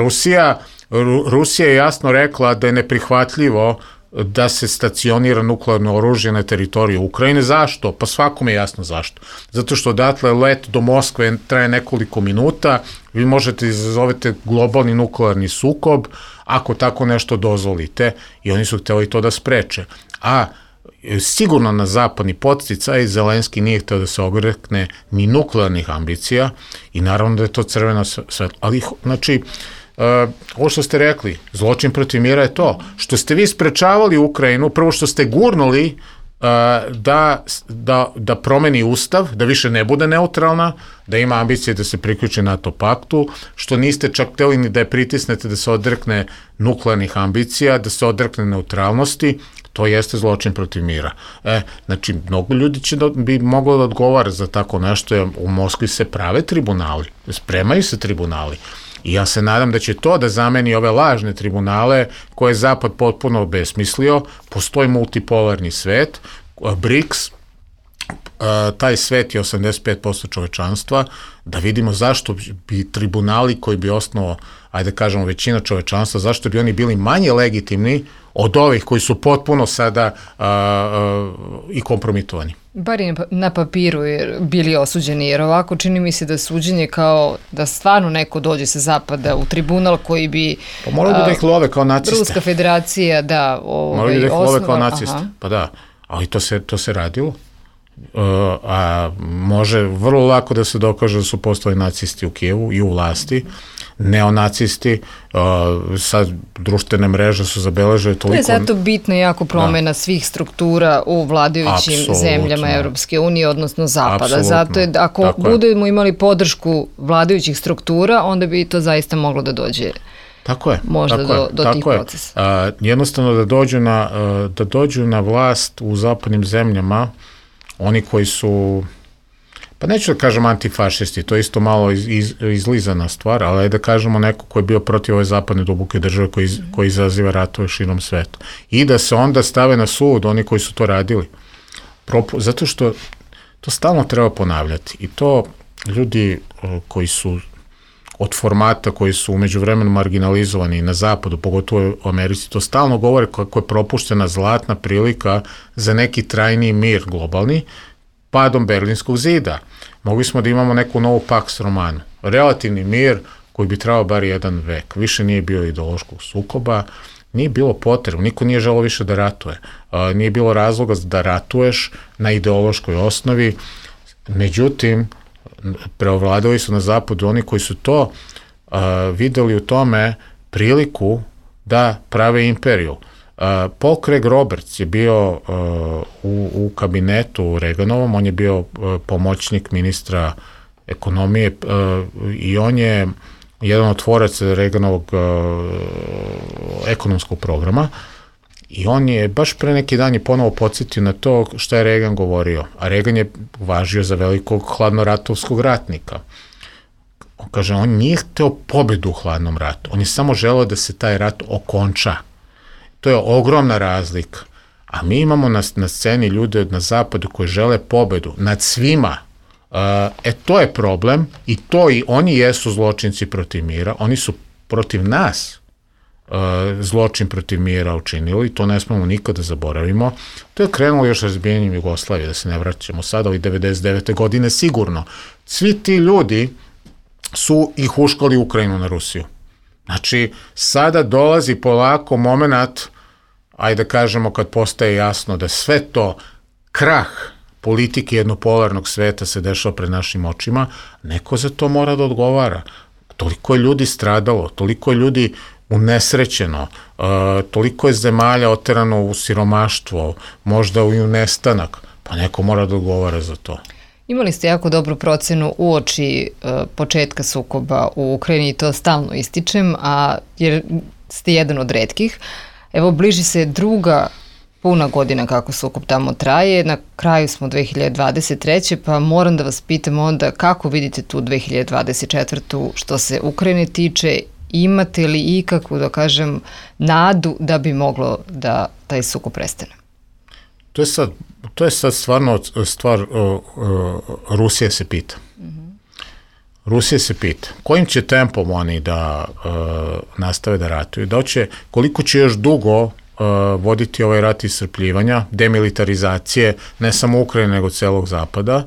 Rusija je jasno rekla da je neprihvatljivo da se stacionira nuklearno oružje na teritoriju Ukrajine. Zašto? Pa svakome je jasno zašto. Zato što odatle let do Moskve traje nekoliko minuta, vi možete izazovete globalni nuklearni sukob ako tako nešto dozvolite i oni su hteli to da spreče. A sigurno na zapadni podsticaj Zelenski nije hteo da se ogrekne ni nuklearnih ambicija i naravno da je to crveno svetlo. Ali, znači, ovo što ste rekli, zločin protiv mira je to. Što ste vi sprečavali Ukrajinu, prvo što ste gurnuli da promeni ustav, da više ne bude neutralna, da ima ambicije da se priključi NATO paktu, što niste čak hteli ni da je pritisnete da se odrekne nuklearnih ambicija, da se odrekne neutralnosti, to jeste zločin protiv mira. Znači, mnogo ljudi bi moglo da odgovara za tako nešto, jer u Moskvi se prave tribunali, spremaju se tribunali. I ja se nadam da će to da zameni ove lažne tribunale koje je Zapad potpuno obesmislio. Postoji multipolarni svet, BRICS, taj svet je 85% čovečanstva, da vidimo zašto bi tribunali koji bi osnovao, ajde kažemo, većina čovečanstva, zašto bi oni bili manje legitimni od ovih koji su potpuno sada i kompromitovani. Bar i na papiru bili osuđeni, jer ovako čini mi se da suđenje kao da stvarno neko dođe sa zapada u tribunal koji bi... Pa morali bi da ih love kao naciste. Ruska federacija, da, morali bi da ih love kao naciste, pa da, ali to se radilo. A može vrlo lako da se dokaže da su postali nacisti u Kijevu i u vlasti, neonacisti, sad društvene mreže su zabeležile toliko... To je zato bitna jako promena svih struktura u vladajućim zemljama Evropske unije, odnosno Zapada. Absolutno. Zato je, ako budemo imali podršku vladajućih struktura, onda bi to zaista moglo da dođe možda do tih procesa. Jednostavno da dođu na vlast u zapadnim zemljama oni koji su, pa neću da kažem antifašisti, to je isto malo izlizana stvar, ali da kažemo neko ko je bio protiv ove zapadne duboke države koji izaziva ratove širom sveta. I da se onda stave na sud oni koji su to radili. Zato što to stalno treba ponavljati. I to ljudi koji su od formata koji su umeđu vremenu marginalizovani na zapadu, pogotovo u Americi, to stalno govore kako je propuštena zlatna prilika za neki trajniji mir globalni, padom Berlinskog zida. Mogli smo da imamo neku novu Pax Romanu. Relativni mir koji bi trebao bar jedan vek. Više nije bio ideološkog sukoba, nije bilo potrebno, niko nije želeo više da ratuje. Nije bilo razloga da ratuješ na ideološkoj osnovi. Međutim, preovladali su na zapadu oni koji su to videli u tome priliku da prave imperiju. Paul Craig Roberts je bio u kabinetu Reaganovom, on je bio pomoćnik ministra ekonomije i on je jedan od tvoraca Reaganovog ekonomskog programa i on je baš pre neki dan je ponovo podsjetio na to šta je Reagan govorio, a Reagan je važio za velikog hladnoratovskog ratnika. On kaže, on nije hteo pobedu u hladnom ratu, on je samo želeo da se taj rat okonča. To je ogromna razlika. A mi imamo na sceni ljude na zapadu koji žele pobedu nad svima. To je problem i oni jesu zločinci protiv mira, oni su protiv nas zločin protiv mira učinili, to ne smemo nikada zaboravimo. To je krenulo još razbijanjem Jugoslavije, da se ne vraćamo sada, ali 99. godine sigurno. Svi ti ljudi su i huškali Ukrajinu na Rusiju. Znači, sada dolazi polako moment, ajde da kažemo kad postaje jasno da sve to krah politike jednopolarnog sveta se dešava pred našim očima, neko za to mora da odgovara. Toliko je ljudi stradalo, toliko je ljudi unesrećeno, toliko je zemalja oterano u siromaštvo, možda i u nestanak, pa neko mora da odgovara za to. Imali ste jako dobru procenu uoči početka sukoba u Ukrajini i to stalno ističem, jer ste jedan od retkih. Evo, bliži se druga puna godina kako sukob tamo traje, na kraju smo 2023. pa moram da vas pitam onda kako vidite tu 2024. što se Ukrajine tiče, imate li ikakvu, da kažem, nadu da bi moglo da taj sukob prestane? To je sad stvarno stvar Rusije se pita. Rusija se pita kojim će tempom oni da nastave da ratuju, koliko će još dugo voditi ovaj rat iscrpljivanja, demilitarizacije, ne samo Ukrajine, nego celog Zapada.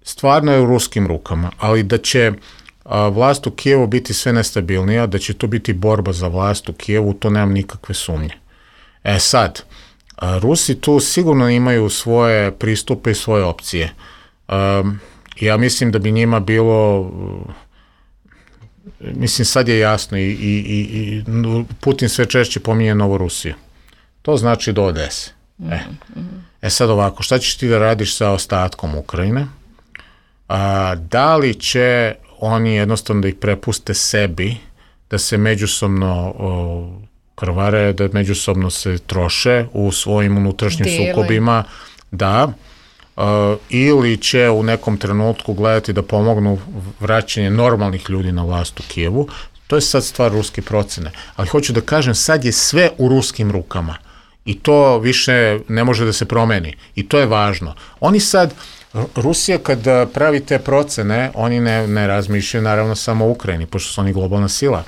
Stvarno je u ruskim rukama, ali da će vlast u Kijevu biti sve nestabilnija, da će to biti borba za vlast u Kijevu, to nemam nikakve sumnje. Sad, Rusi tu sigurno imaju svoje pristupe i svoje opcije. Ja mislim da bi njima bilo, mislim sad je jasno i Putin sve češće pominje Novorusiju. To znači do Odese. Sad ovako, šta ćeš ti da radiš sa ostatkom Ukrajine? Da li će oni jednostavno da ih prepuste sebi, da se međusobno krvare, da međusobno se troše u svojim unutrašnjim sukobima, da, ili će u nekom trenutku gledati da pomognu vraćanje normalnih ljudi na vlast u Kijevu. To je sad stvar ruske procene. Ali hoću da kažem, sad je sve u ruskim rukama i to više ne može da se promeni i to je važno. Oni sad, Rusija kad pravi te procene, oni ne razmišljaju naravno samo o Ukrajini, pošto su oni globalna sila.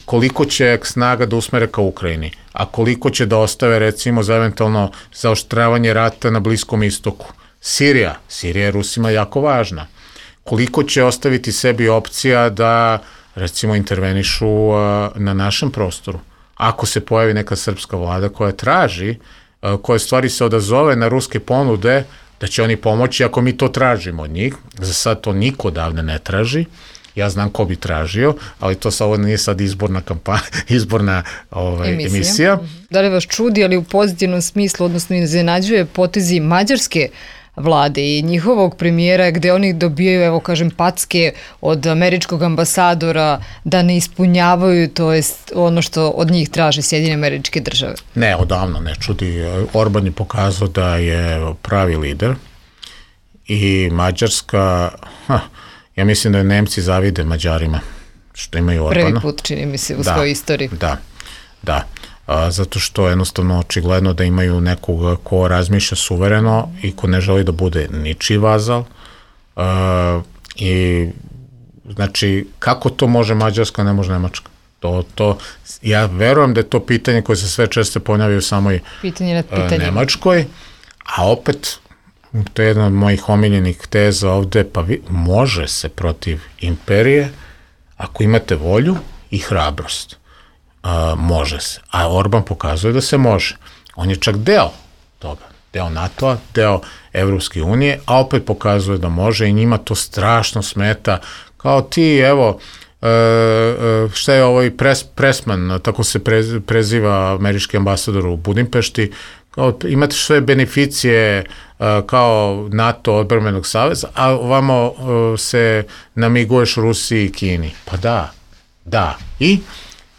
Koliko će snaga da usmere ka Ukrajini, a koliko će da ostave recimo za eventualno zaoštravanje rata na Bliskom istoku. Sirija je Rusima jako važna. Koliko će ostaviti sebi opcija da recimo intervenišu na našem prostoru. Ako se pojavi neka srpska vlada koja traži, koja stvari se odazove na ruske ponude, da će oni pomoći ako mi to tražimo od njih. Za sad to niko odavde ne traži. Ja znam ko bi tražio, ali to ovo nije sad izborna kampanja, izborna emisija. Da li vas čudi, ali u pozitivnom smislu, odnosno iznenađuje potezi mađarske vlade i njihovog premijera gde oni dobijaju, evo kažem, packe od američkog ambasadora da ne ispunjavaju, to jest ono što od njih traže Sjedinjene Američke Države? Ne, odavno ne čudi. Orban je pokazao da je pravi lider i Mađarska, ja mislim da Nemci zavide Mađarima što imaju Orbana. Prvi put, čini mi se, u svojoj istoriji. Da. Zato što je jednostavno očigledno da imaju nekog ko razmišlja suvereno i ko ne želi da bude ničiji vazal. I znači, kako to može Mađarska, ne može Nemačka? Ja verujem da je to pitanje koje se sve često ponavljaju u samoj Nemačkoj, a opet to je jedna od mojih omiljenih teza ovde, pa može se protiv imperije ako imate volju i hrabrost. Može se. A Orban pokazuje da se može. On je čak deo toga. Deo NATO-a, deo Evropske unije, a opet pokazuje da može i njima to strašno smeta. Kao ti, evo, šta je ovaj Pressman, tako se preziva američki ambasador u Budimpešti, imate sve beneficije kao NATO odbrambenog saveza, a ovamo se namiguješ Rusiji i Kini. Pa da. I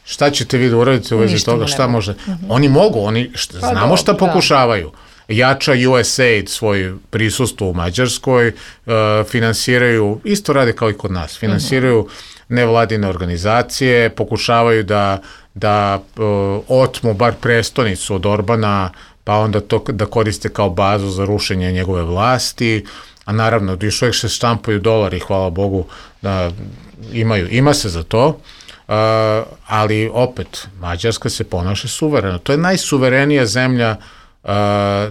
šta ćete vi da uradite u vezi toga? Šta može? Oni mogu, znamo šta pokušavaju. Jača USAID svoj prisustvo u Mađarskoj, finansiraju, isto rade kao i kod nas, finansiraju nevladine organizacije, pokušavaju da otmu bar prestonicu od Orbana, pa onda to da koriste kao bazu za rušenje njegove vlasti, a naravno još uvijek se štampaju dolari, hvala Bogu, da ima se za to, ali opet, Mađarska se ponaša suvereno. To je najsuverenija zemlja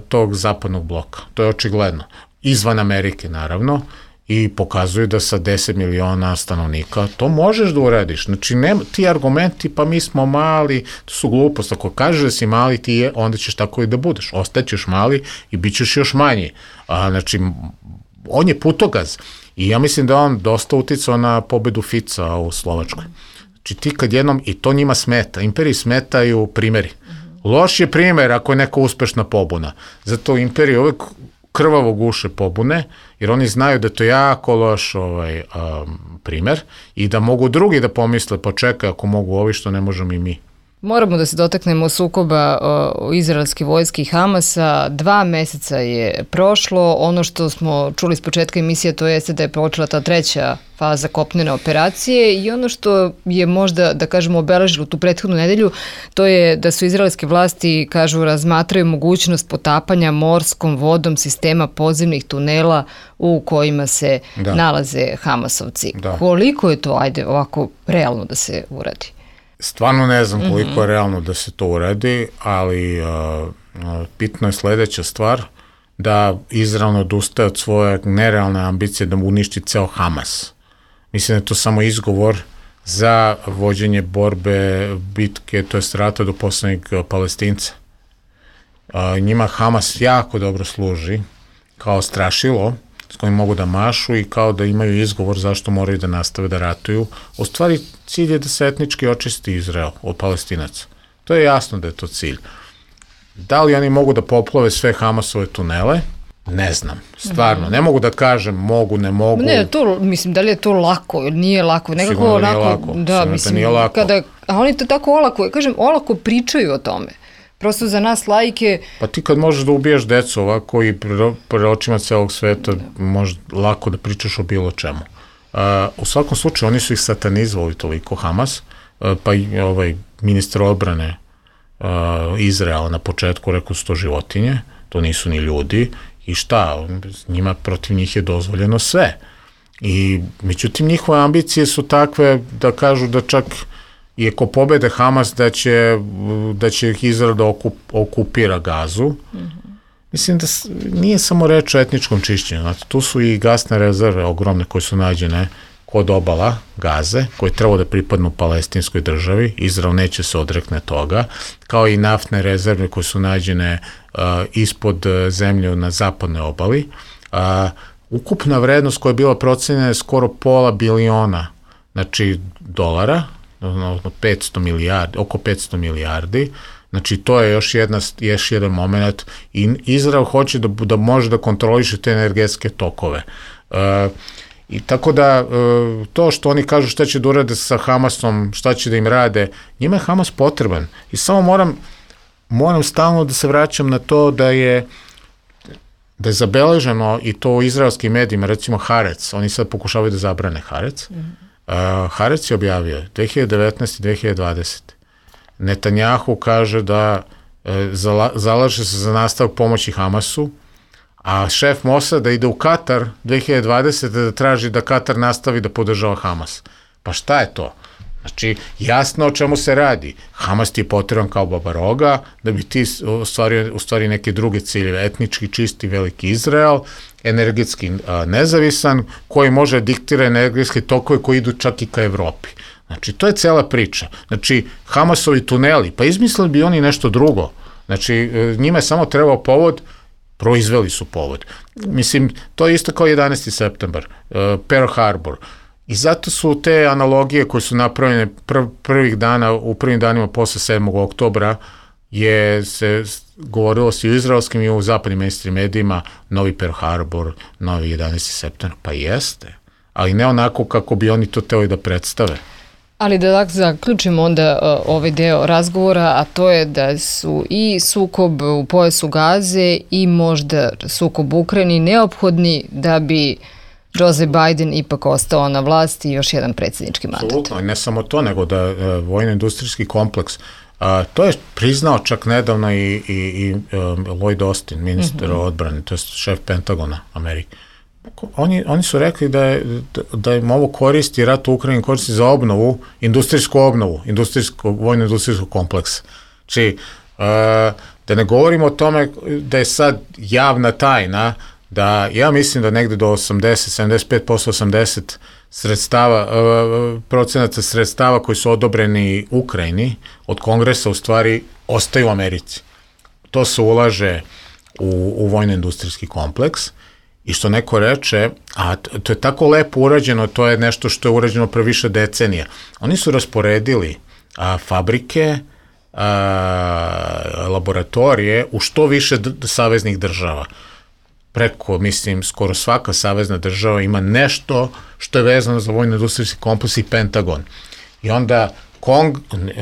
tog zapadnog bloka, to je očigledno. Izvan Amerike, naravno, i pokazuju da sa 10 miliona stanovnika to možeš da uradiš. Znači, ti argumenti, pa mi smo mali, to su glupost. Ako kažeš da si mali, onda ćeš tako i da budeš. Ostaćeš mali i bit ćeš još manji. Znači, on je putokaz i ja mislim da on dosta uticao na pobedu Fica u Slovačkoj. Či ti kad jednom, i to njima smeta, imperiji smetaju primeri. Loš je primer ako je neka uspešna pobuna. Zato imperiji uvek krvavo guše pobune, jer oni znaju da je to jako loš primer i da mogu drugi da pomisle, pa čekaj, ako mogu ovi, što ne možemo i mi. Moramo da se dotaknemo sukoba izraelske vojske i Hamasa. 2 meseca je prošlo. Ono što smo čuli s početka emisije, to jeste da je počela ta 3. faza kopnene operacije i ono što je možda, da kažemo, obeležilo tu prethodnu nedelju, to je da su izraelske vlasti, kažu, razmatraju mogućnost potapanja morskom vodom sistema podzemnih tunela u kojima se nalaze Hamasovci. Koliko je to, ajde, ovako, realno da se uradi? Stvarno ne znam koliko je realno da se to uradi, ali bitno je sledeća stvar, da Izrael odustaje od svoje nerealne ambicije da mu uništi ceo Hamas. Mislim da je to samo izgovor za vođenje borbe, bitke, to je rata do poslednjeg Palestinca. Njima Hamas jako dobro služi kao strašilo s kojim mogu da mašu i kao da imaju izgovor zašto moraju da nastave da ratuju. U stvari, cilj je da se etnički očisti Izrael od Palestinaca. To je jasno da je to cilj. Da li oni mogu da poplove sve Hamasove tunele? Ne znam, stvarno. Ne mogu da kažem mogu, ne mogu. Ne, to, mislim, da li je to lako ili nije lako? Nekako sigurno da nije lako. Da, mislim, da nije lako. A oni to tako olako, kažem, olako pričaju o tome. Prosto za nas laike... Pa ti kad možeš da ubiješ decu ovako i pre očima celog sveta, možeš lako da pričaš o bilo čemu. U svakom slučaju, oni su ih satanizovali toliko, Hamas, pa i ministar odbrane Izraela na početku rekao su to životinje, to nisu ni ljudi, i šta, njima protiv njih je dozvoljeno sve. I međutim, njihove ambicije su takve da kažu da čak i ako pobede Hamas da će Izrael da okupira Gazu. Mislim da nije samo reč o etničkom čišćenju. Znači, tu su i gasne rezerve ogromne koje su nađene kod obala Gaze, koje treba da pripadnu palestinskoj državi. Izrael neće se odrekne toga, kao i naftne rezerve koje su nađene ispod zemlje na zapadnoj obali. Ukupna vrednost koja je bila procenjena je skoro $500 miliona, znači dolara, oko 500 milijardi. Znači, to je još jedan moment i Izrael hoće da može da kontroliše te energetske tokove. I tako da, to što oni kažu šta će da urade sa Hamasom, šta će da im rade, njima je Hamas potreban. I samo moram stalno da se vraćam na to da je zabeleženo i to u izraelskim medijima, recimo Haaretz, oni sad pokušavaju da zabrane Haaretz. Haaretz je objavio 2019. i 2020. Netanjahu kaže da zalaže se za nastavak pomoći Hamasu, a šef Mosada ide u Katar 2020. da traži da Katar nastavi da podržava Hamas. Pa šta je to? Znači, jasno o čemu se radi. Hamas ti je potreban kao babaroga da bi ti ostvario neke druge ciljeve, etnički čisti veliki Izrael, energetski nezavisan, koji može diktira energetske tokove koji idu čak i ka Evropi. Znači, to je cela priča. Znači, Hamasovi tuneli, pa izmislili bi oni nešto drugo. Znači, njima je samo trebao povod, proizveli su povod. Mislim, to je isto kao 11. septembar, Pearl Harbor. I zato su te analogije koje su napravljene u prvim danima posle 7. oktobra se govorilo se i u izraelskim i u zapadnim mainstream medijima, novi Pearl Harbor, novi 11. septembar. Pa jeste, ali ne onako kako bi oni to hteli da predstave. Ali da zaključimo onda ovaj deo razgovora, a to je da su i sukob u pojasu Gaze i možda sukob u Ukrajini neophodni da bi Joe Biden ipak ostao na vlasti i još jedan predsjednički mandat. Absolutno, ne samo to, nego da vojno-industrijski kompleks, to je priznao čak nedavno i Lloyd Austin, ministar odbrane, to je šef Pentagona Amerike. Oni su rekli da im ovo koristi, rat u Ukrajini koristi za obnovu, industrijsku obnovu, vojno-industrijskog kompleksa. Znači, da ne govorimo o tome da je sad javna tajna, da ja mislim da negde do 80, 75%, 80% procenata sredstava koji su odobreni Ukrajini od kongresa u stvari ostaju u Americi. To se ulaže u vojno-industrijski kompleks I što neko reče, a to je tako lepo urađeno, to je nešto što je urađeno pre više decenija. Oni su rasporedili fabrike, laboratorije u što više saveznih država. Preko, mislim, skoro svaka savezna država ima nešto što je vezano za vojno-industrijski kompleks i Pentagon. I onda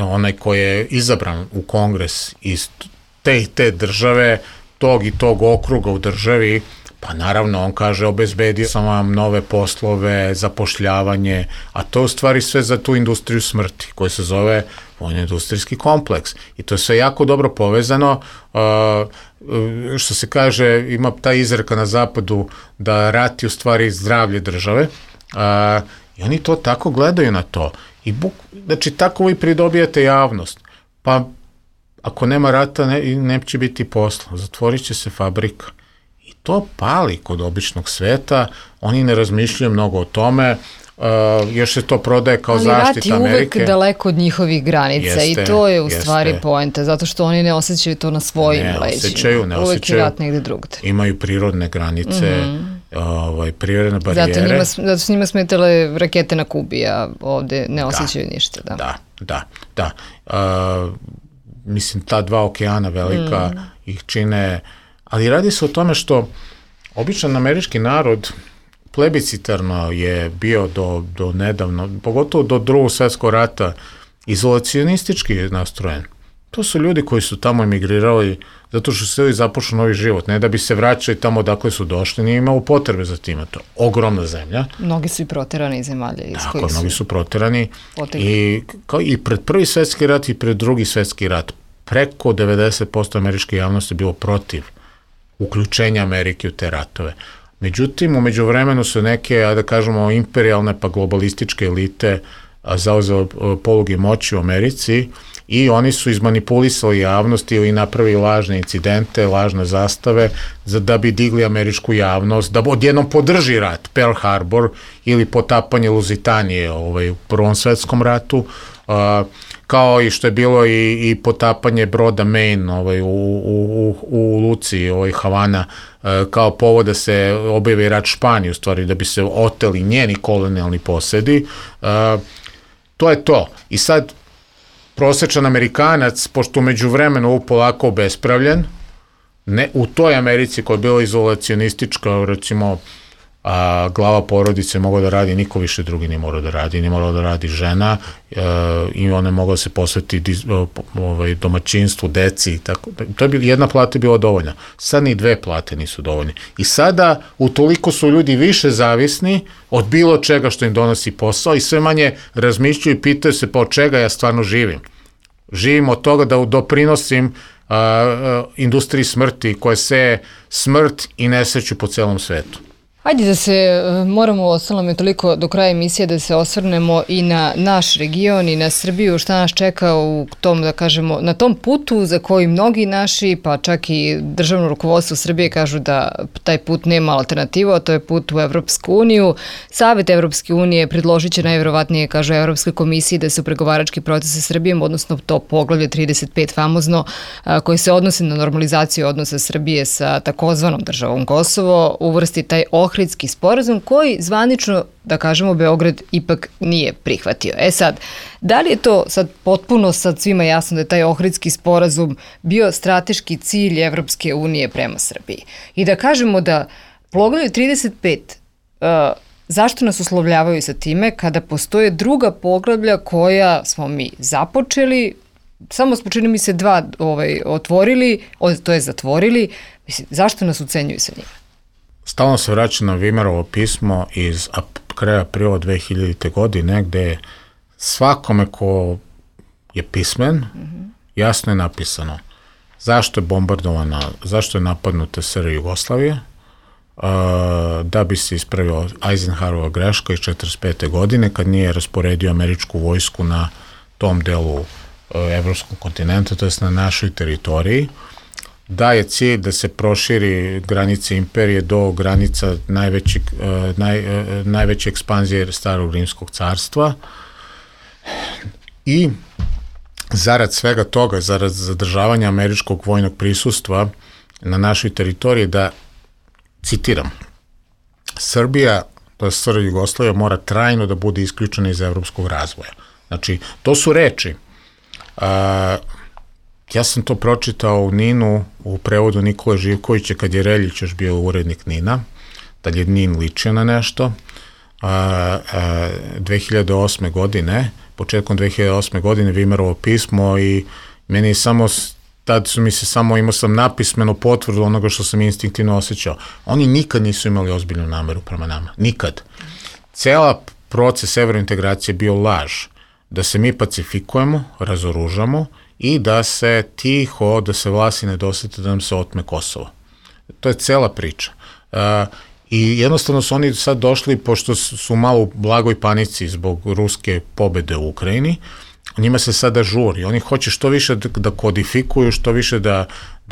onaj koji je izabran u kongres iz te države, tog i tog okruga u državi, pa naravno on kaže obezbedio sam vam nove poslove, zapošljavanje, a to je u stvari sve za tu industriju smrti koja se zove vojno-industrijski kompleks. I to je sve jako dobro povezano, što se kaže, ima ta izreka na zapadu da rat je u stvari zdravlje države, i oni to tako gledaju na to. Znači, tako vi pridobijate javnost. Pa, ako nema rata, neće biti posla, zatvorit će se fabrika. I to pali kod običnog sveta, oni ne razmišljaju mnogo o tome, još se to prodaje kao zaštita Amerike. Ali rat je uvek daleko od njihovih granica i to je u stvari poenta, zato što oni ne osjećaju to na svojim leđima. Ne uvek je rat negde drugde. Imaju prirodne granice, prirodne barijere. Zato su njima smetale rakete na Kubi, a ovde ne osjećaju ništa. Da. Mislim, ta dva okeana velika ih čine, ali radi se o tome što običan američki narod plebiscitarno je bio do nedavno, pogotovo do Drugog svjetskog rata, izolacionistički nastrojen. To su ljudi koji su tamo emigrirali zato što su i započeli novi život, ne da bi se vraćali tamo odakle su došli, nije imao potrebe za tim. To je ogromna zemlja. Mnogi su i proterani iz zemalja. Tako, mnogi su proterani i pred Prvi svjetski rat i pred Drugi svjetski rat preko 90% američke javnosti je bilo protiv uključenja Amerike u te ratove. Međutim, u međuvremenu su neke, da kažemo, imperijalne pa globalističke elite zauzele poluge moći u Americi i oni su izmanipulisali javnost ili napravili lažne incidente, lažne zastave da bi digli američku javnost, da odjednom podrži rat, Pearl Harbor ili potapanje Luzitanije u Prvom svetskom ratu, kao i što je bilo i potapanje broda Maine u Luci, Havana, kao povod da se objavi rat Španiji, u stvari da bi se oteli njeni kolonijalni posedi. To je to. I sad prosečan Amerikanac, pošto umeđu vremenu polako obespravljen, u toj Americi koja je bila izolacionistička, recimo, glava porodice mogla da radi, niko više drugi nije morao da radi, nije morala da radi žena i ona je mogla da se posvetiti domaćinstvu, deci i tako. Jedna plata je bila dovoljna. Sad ni dve plate nisu dovoljne. I sada utoliko su ljudi više zavisni od bilo čega što im donosi posao i sve manje razmišljaju i pitaju se pa od čega ja stvarno živim. Živim od toga da doprinosim industriji smrti koja seje smrt i nesreću po celom svetu. Ajde da se moramo, ostalo mi toliko do kraja emisije, da se osvrnemo i na naš region i na Srbiju, šta nas čeka u tom, da kažemo, na tom putu za koji mnogi naši, pa čak i državno rukovodstvo Srbije kažu da taj put nema alternativu, a to je put u Evropsku uniju. Savet Evropske unije predložit će najverovatnije, kažu Evropskoj komisiji, da se u pregovarački proces sa Srbijom, odnosno to poglavlje 35 famozno, koji se odnosi na normalizaciju odnosa Srbije sa takozvanom državom Kosovo, uvrsti taj Ohridski sporazum koji zvanično, da kažemo, Beograd ipak nije prihvatio. Sad, da li je to sad potpuno sad svima jasno da je taj Ohridski sporazum bio strateški cilj Evropske unije prema Srbiji? I da kažemo da poglavlje 35, zašto nas uslovljavaju sa time kada postoje druga poglavlja koja smo mi započeli, samo smo, čini mi se, 2 otvorili, to je zatvorili, mislim, zašto nas ucenjuju sa njima? Stalno se vraća na Vimerovo pismo iz kraja aprila 2000. godine, gde svakome ko je pismen, jasno je napisano zašto je bombardovana, zašto je napadnuta SR Jugoslavija, da bi se ispravila Eisenhowerova greška iz 1945. godine, kad nije rasporedio američku vojsku na tom delu evropskog kontinenta, to je na našoj teritoriji, da je cilj da se proširi granice imperije do granica najveće ekspanzije starog rimskog carstva i zarad svega toga, zarad zadržavanja američkog vojnog prisustva na našoj teritoriji, da, citiram, Srbija, to je SR Jugoslavija, mora trajno da bude isključena iz evropskog razvoja. Znači, to su reči. Ja sam to pročitao u NIN-u u prevodu Nikole Živkovića kad je Reljić još bio urednik NIN-a, da je NIN ličio na nešto. 2008. godine, početkom 2008. godine Vimerovo pismo i meni je samo, tad su mi se samo, imao sam napismenu potvrdu onoga što sam instinktivno osjećao. Oni nikad nisu imali ozbiljnu nameru prema nama. Nikad. Cela proces evrointegracije je bio laž. Da se mi pacifikujemo, razoružamo i da se tiho, da se vlasti ne dosete da nam se otme Kosovo. To je cela priča. I jednostavno su oni sad došli, pošto su malo u blagoj panici zbog ruske pobede u Ukrajini, njima se sada žuri. Oni hoće što više da kodifikuju, što više da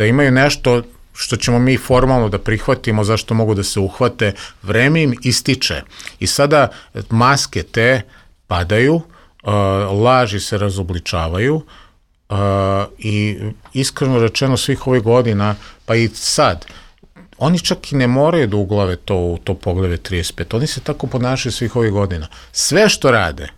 imaju nešto što ćemo mi formalno da prihvatimo, zašto mogu da se uhvate, vreme im ističe. I sada maske te padaju, laži se razobličavaju i iskreno rečeno svih ovih godina, pa i sad, oni čak i ne moraju da uglave to u to Poglavlje 35. Oni se tako ponašaju svih ovih godina. Sve što rade,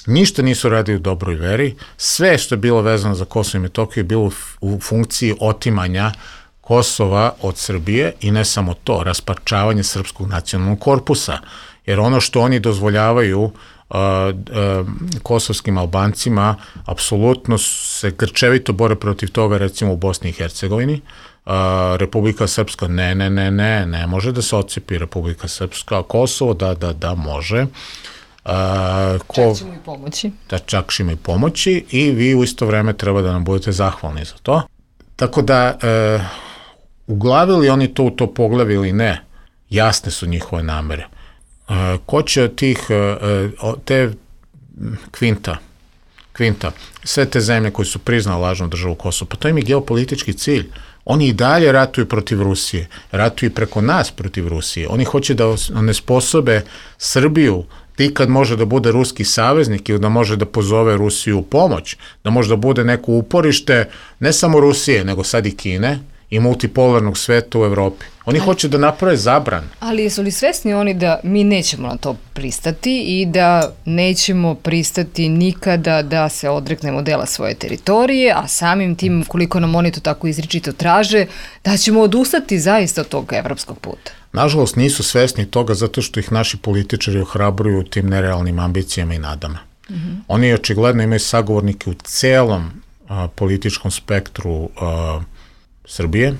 ništa nisu radili u dobroj veri, sve što je bilo vezano za Kosovo i Metohiju je bilo u funkciji otimanja Kosova od Srbije i ne samo to, rasparčavanje srpskog nacionalnog korpusa. Jer ono što oni dozvoljavaju kosovskim Albancima, apsolutno se grčevito bore protiv toga, recimo u Bosni i Hercegovini. Republika Srpska, ne može da se odcepi Republika Srpska, Kosovo, da, može. Čak ćemo i pomoći. Čak ćemo i pomoći i vi u isto vreme treba da nam budete zahvalni za to. Tako da, uglavili oni to u to poglavlje ili ne, jasne su njihove namere. Ko će od te Kvinta, sve te zemlje koje su priznale lažnu državu Kosovo, pa to im je geopolitički cilj. Oni i dalje ratuju protiv Rusije, ratuju preko nas protiv Rusije. Oni hoće da onesposobe Srbiju, kad može da bude ruski saveznik ili da može da pozove Rusiju u pomoć, da može da bude neko uporište ne samo Rusije, nego sad i Kine i multipolarnog sveta u Evropi. Oni hoće da naprave zabran. Ali su li svesni oni da mi nećemo na to pristati i da nećemo pristati nikada da se odreknemo dela svoje teritorije, a samim tim, koliko nam oni to tako izričito traže, da ćemo odustati zaista od tog evropskog puta? Nažalost, nisu svesni toga zato što ih naši političari ohrabruju tim nerealnim ambicijama i nadama. Oni očigledno imaju sagovornike u celom političkom spektru Srbije,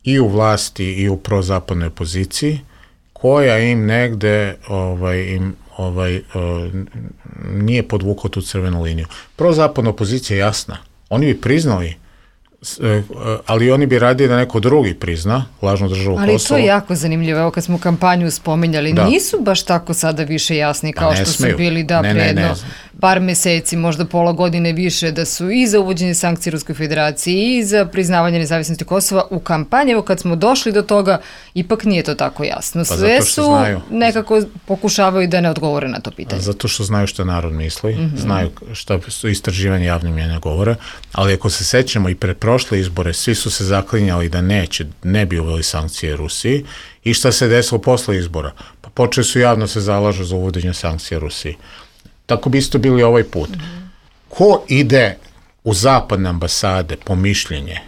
i u vlasti i u prozapadnoj opoziciji, koja im negde nije podvukla tu crvenu liniju. Prozapadna opozicija je jasna. Oni bi priznali, ali oni bi radili da neko drugi prizna lažnu državu Kosovo. Ali to je jako zanimljivo. Evo kad smo kampanju spominjali, nisu baš tako sada više jasni kao što su bili predno par meseci, možda pola godine više, da su i za uvođenje sankcija Ruskoj federaciji i za priznavanje nezavisnosti Kosova u kampanji. Evo kad smo došli do toga, ipak nije to tako jasno. Sve su nekako pokušavaju da ne odgovore na to pitanje. Zato što znaju što narod misli, znaju šta su istraživanje javne mnjenja govore, ali ako se sećamo i pred prošle izbore, svi su se zaklinjali da ne bi uveli sankcije Rusiji i šta se desilo posle izbora? Pa počeli su javno se zalažu za uvođenje sankcija Rusiji. Tako bi isto bili ovaj put. Ko ide u zapadne ambasade po mišljenje,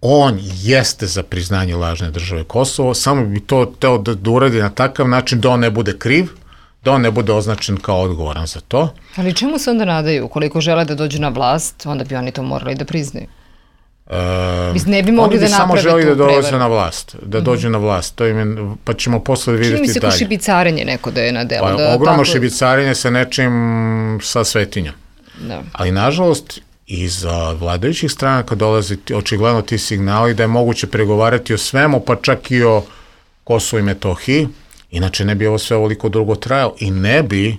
on jeste za priznanje lažne države Kosovo, samo bi to teo da uradi na takav način da on ne bude kriv, da on ne bude označen kao odgovoran za to. Ali čemu se onda nadaju? Ukoliko žele da dođu na vlast, onda bi oni to morali da priznaju. Ne bi mogli da naprave tu prevaru. Oni bi samo želi da dolaze na vlast, da dođu na vlast, pa ćemo posle vidjeti dalje. Čini mi se ko šibicarenje neko da je na delu. Ogromno šibicarenje sa nečim sa svetinjom. Ali nažalost, iz vladajućih stranaka dolaze očigledno ti signali da je moguće pregovarati o svemu, pa čak i o Kosovu i Metohiji, inače ne bi ovo sve ovoliko dugo trajalo i ne bi.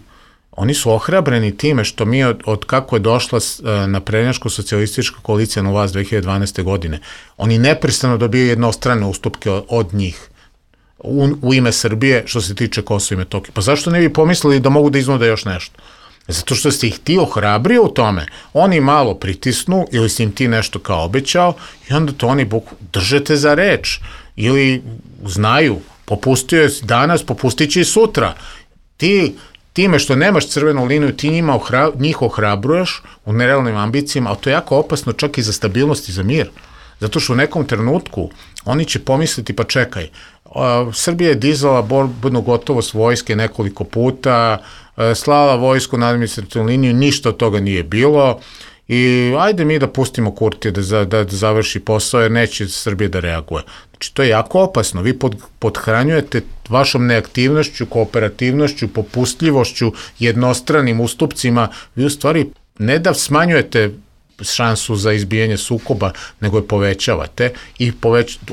Oni su ohrabreni time što mi od kako je došla naprednjačko socijalistička koalicija na vlast 2012. godine, oni neprestano dobijaju jednostrane ustupke od njih u ime Srbije što se tiče Kosova i Metohije. Pa zašto ne bi pomislili da mogu da iznude još nešto? Zato što ste ih ti ohrabrio u tome. Oni malo pritisnu ili si im ti nešto kao obećao i onda to oni držete za reč ili znaju Popustio je danas, popustit će i sutra. Time što nemaš crvenu liniju, ti njih ohrabruješ u nerealnim ambicijama, ali to je jako opasno čak i za stabilnost i za mir. Zato što u nekom trenutku oni će pomisliti, pa čekaj, Srbija je dizala borbenu gotovost vojske nekoliko puta, slala vojsku na administrativnu liniju, ništa od toga nije bilo i ajde mi da pustimo Kurtija da završi posao jer neće Srbija da reaguje. Znači to je jako opasno, vi podhranjujete vašom neaktivnošću, kooperativnošću, popustljivošću, jednostranim ustupcima, vi u stvari ne da smanjujete šansu za izbijanje sukoba, nego je povećavate i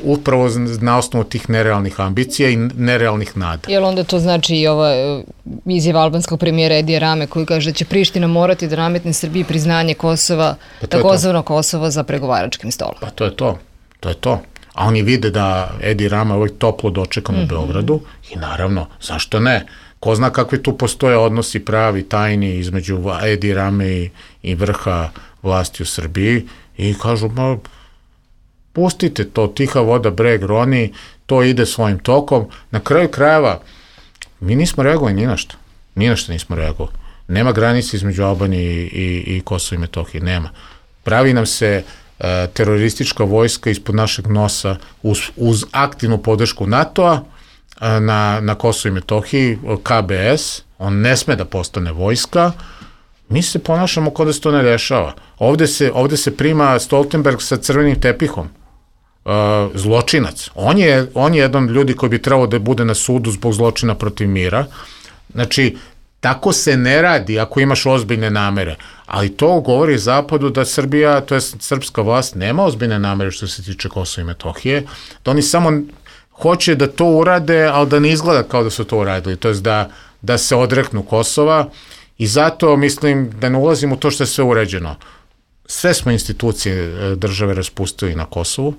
upravo na osnovu tih nerealnih ambicija i nerealnih nada. Jel onda to znači i ova izjava albanskog premijera Edija Rame koji kaže da će Priština morati da nametne Srbiji priznanje Kosova, takozvano Kosovo za pregovaračkim stolom? Pa to je to. A oni vide da Edi Rama je uvijek toplo dočekan u Beogradu i naravno, zašto ne? Ko zna kakvi tu postoje odnosi pravi, tajni između Edi Rame i vrha vlasti u Srbiji i kažu, pustite to, tiha voda, breg, roni, to ide svojim tokom. Na kraju krajeva, mi nismo reagovali ni na što nismo reagovali. Nema granice između Albanije i Kosova i Metohije, nema. Pravi nam se teroristička vojska ispod našeg nosa uz aktivnu podršku NATO-a na Kosovu i Metohiji, KBS, on ne sme da postane vojska, mi se ponašamo kao da se to ne dešava. Ovde se prima Stoltenberg sa crvenim tepihom, zločinac. On je jedan od ljudi koji bi trebao da bude na sudu zbog zločina protiv mira. Znači, tako se ne radi ako imaš ozbiljne namere, ali to govori Zapadu da Srbija, to je srpska vlast, nema ozbiljne namere što se tiče Kosova i Metohije, da oni samo hoće da to urade, ali da ne izgleda kao da su to uradili, to je da se odreknu Kosova i zato mislim da ne ulazim u to što je sve uređeno. Sve smo institucije države raspustili na Kosovu,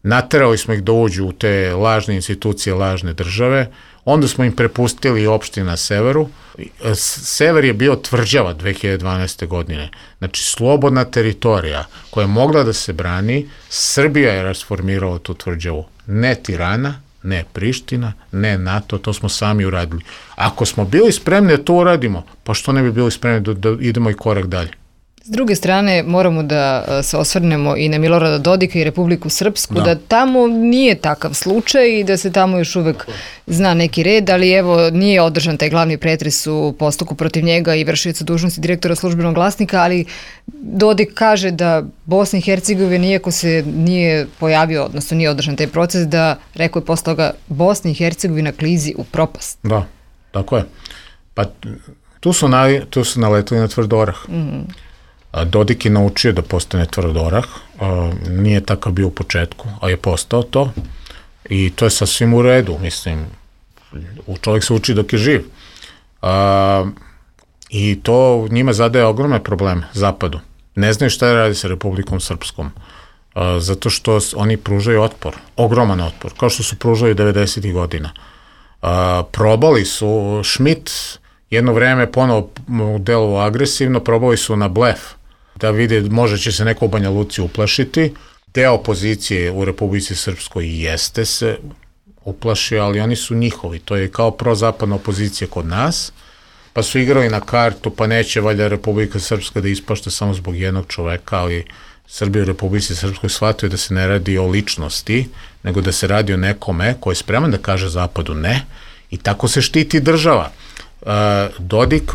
naterali smo ih da uđu u te lažne institucije, lažne države, onda smo im prepustili opštine na severu. Sever je bio tvrđava 2012. godine. Znači, slobodna teritorija koja je mogla da se brani, Srbija je rasformirala tu tvrđavu. Ne Tirana, ne Priština, ne NATO, to smo sami uradili. Ako smo bili spremni da to uradimo, pa što ne bi bili spremni da idemo i korak dalje? S druge strane, moramo da se osvrnemo i na Milorada Dodika i Republiku Srpsku, da tamo nije takav slučaj i da se tamo još uvek zna neki red, ali evo, nije održan taj glavni pretres u postupku protiv njega i vršioca dužnosti direktora Službenog glasnika, ali Dodik kaže da Bosna i Hercegovina, iako se nije pojavio, odnosno nije održan taj proces, da, rekao je posle toga, Bosna i Hercegovina klizi u propast. Da, tako je. Pa tu su naletili na tvrd orah. Dodik je naučio da postane tvrd orah, nije takav bio u početku, a je postao to i to je sasvim u redu, mislim, čovjek se uči dok je živ. I to njima zadaje ogromne probleme, Zapadu. Ne znaju šta radi sa Republikom Srpskom, zato što oni pružaju otpor, ogroman otpor, kao što su pružali 90. godina. Probali su, Schmidt jedno vreme ponovo delovao agresivno, probali su na blef, da vide možda će se neko u Banja Luci uplašiti. Deo opozicije u Republici Srpskoj jeste se uplašio, ali oni su njihovi, to je kao prozapadna opozicija kod nas, pa su igrali na kartu, pa neće valjda Republika Srpska da ispašta samo zbog jednog čoveka, ali Srbija u Republici Srpskoj shvatio da se ne radi o ličnosti, nego da se radi o nekome koji je spreman da kaže Zapadu ne, i tako se štiti država. Dodik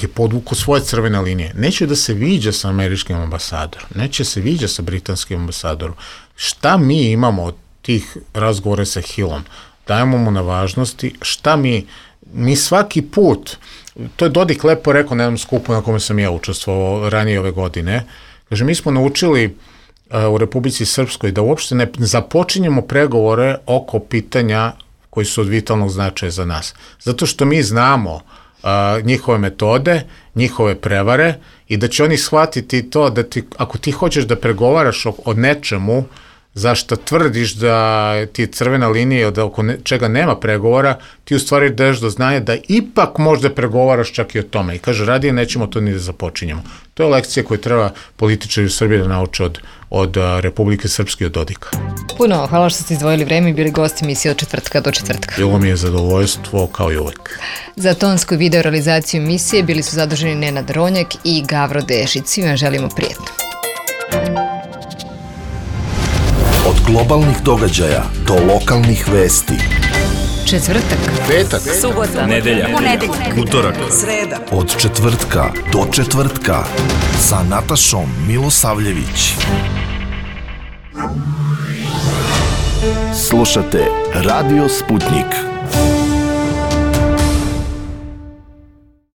je podvukao svoje crvene linije. Neće da se viđa sa američkim ambasadorom, neće se viđa sa britanskim ambasadorom. Šta mi imamo od tih razgovora sa Hillom? Dajemo mu na važnosti. Šta mi svaki put, to je Dodik lepo rekao na jednom skupu na kome sam ja učestvovao ranije ove godine, kaže, mi smo naučili u Republici Srpskoj da uopšte ne započinjemo pregovore oko pitanja koji su od vitalnog značaja za nas. Zato što mi znamo njihove metode, njihove prevare i da će oni shvatiti to da ako ti hoćeš da pregovaraš o nečemu zašto tvrdiš da ti je crvena linija, da oko čega nema pregovora, ti u stvari daješ do znanja da ipak možda pregovaraš čak i o tome. I kaže, radije nećemo to ni da započinjemo. To je lekcija koju treba političari u Srbiji da nauče od Republike Srpske i od Dodika. Puno, hvala što ste izdvojili vreme i bili gosti emisije od četvrtka do četvrtka. Bilo mi je zadovoljstvo kao i uvek. Za tonsku video realizaciju emisije bili su zaduženi Nenad Ronjak i Gavro Dešić. Svima želimo prijetno. Od globalnih događaja do lokalnih vesti. Četvrtak, petak, subota, nedelja, utorak, sreda. Od četvrtka do četvrtka sa Natašom Milosavljević. Slušate Radio Sputnik.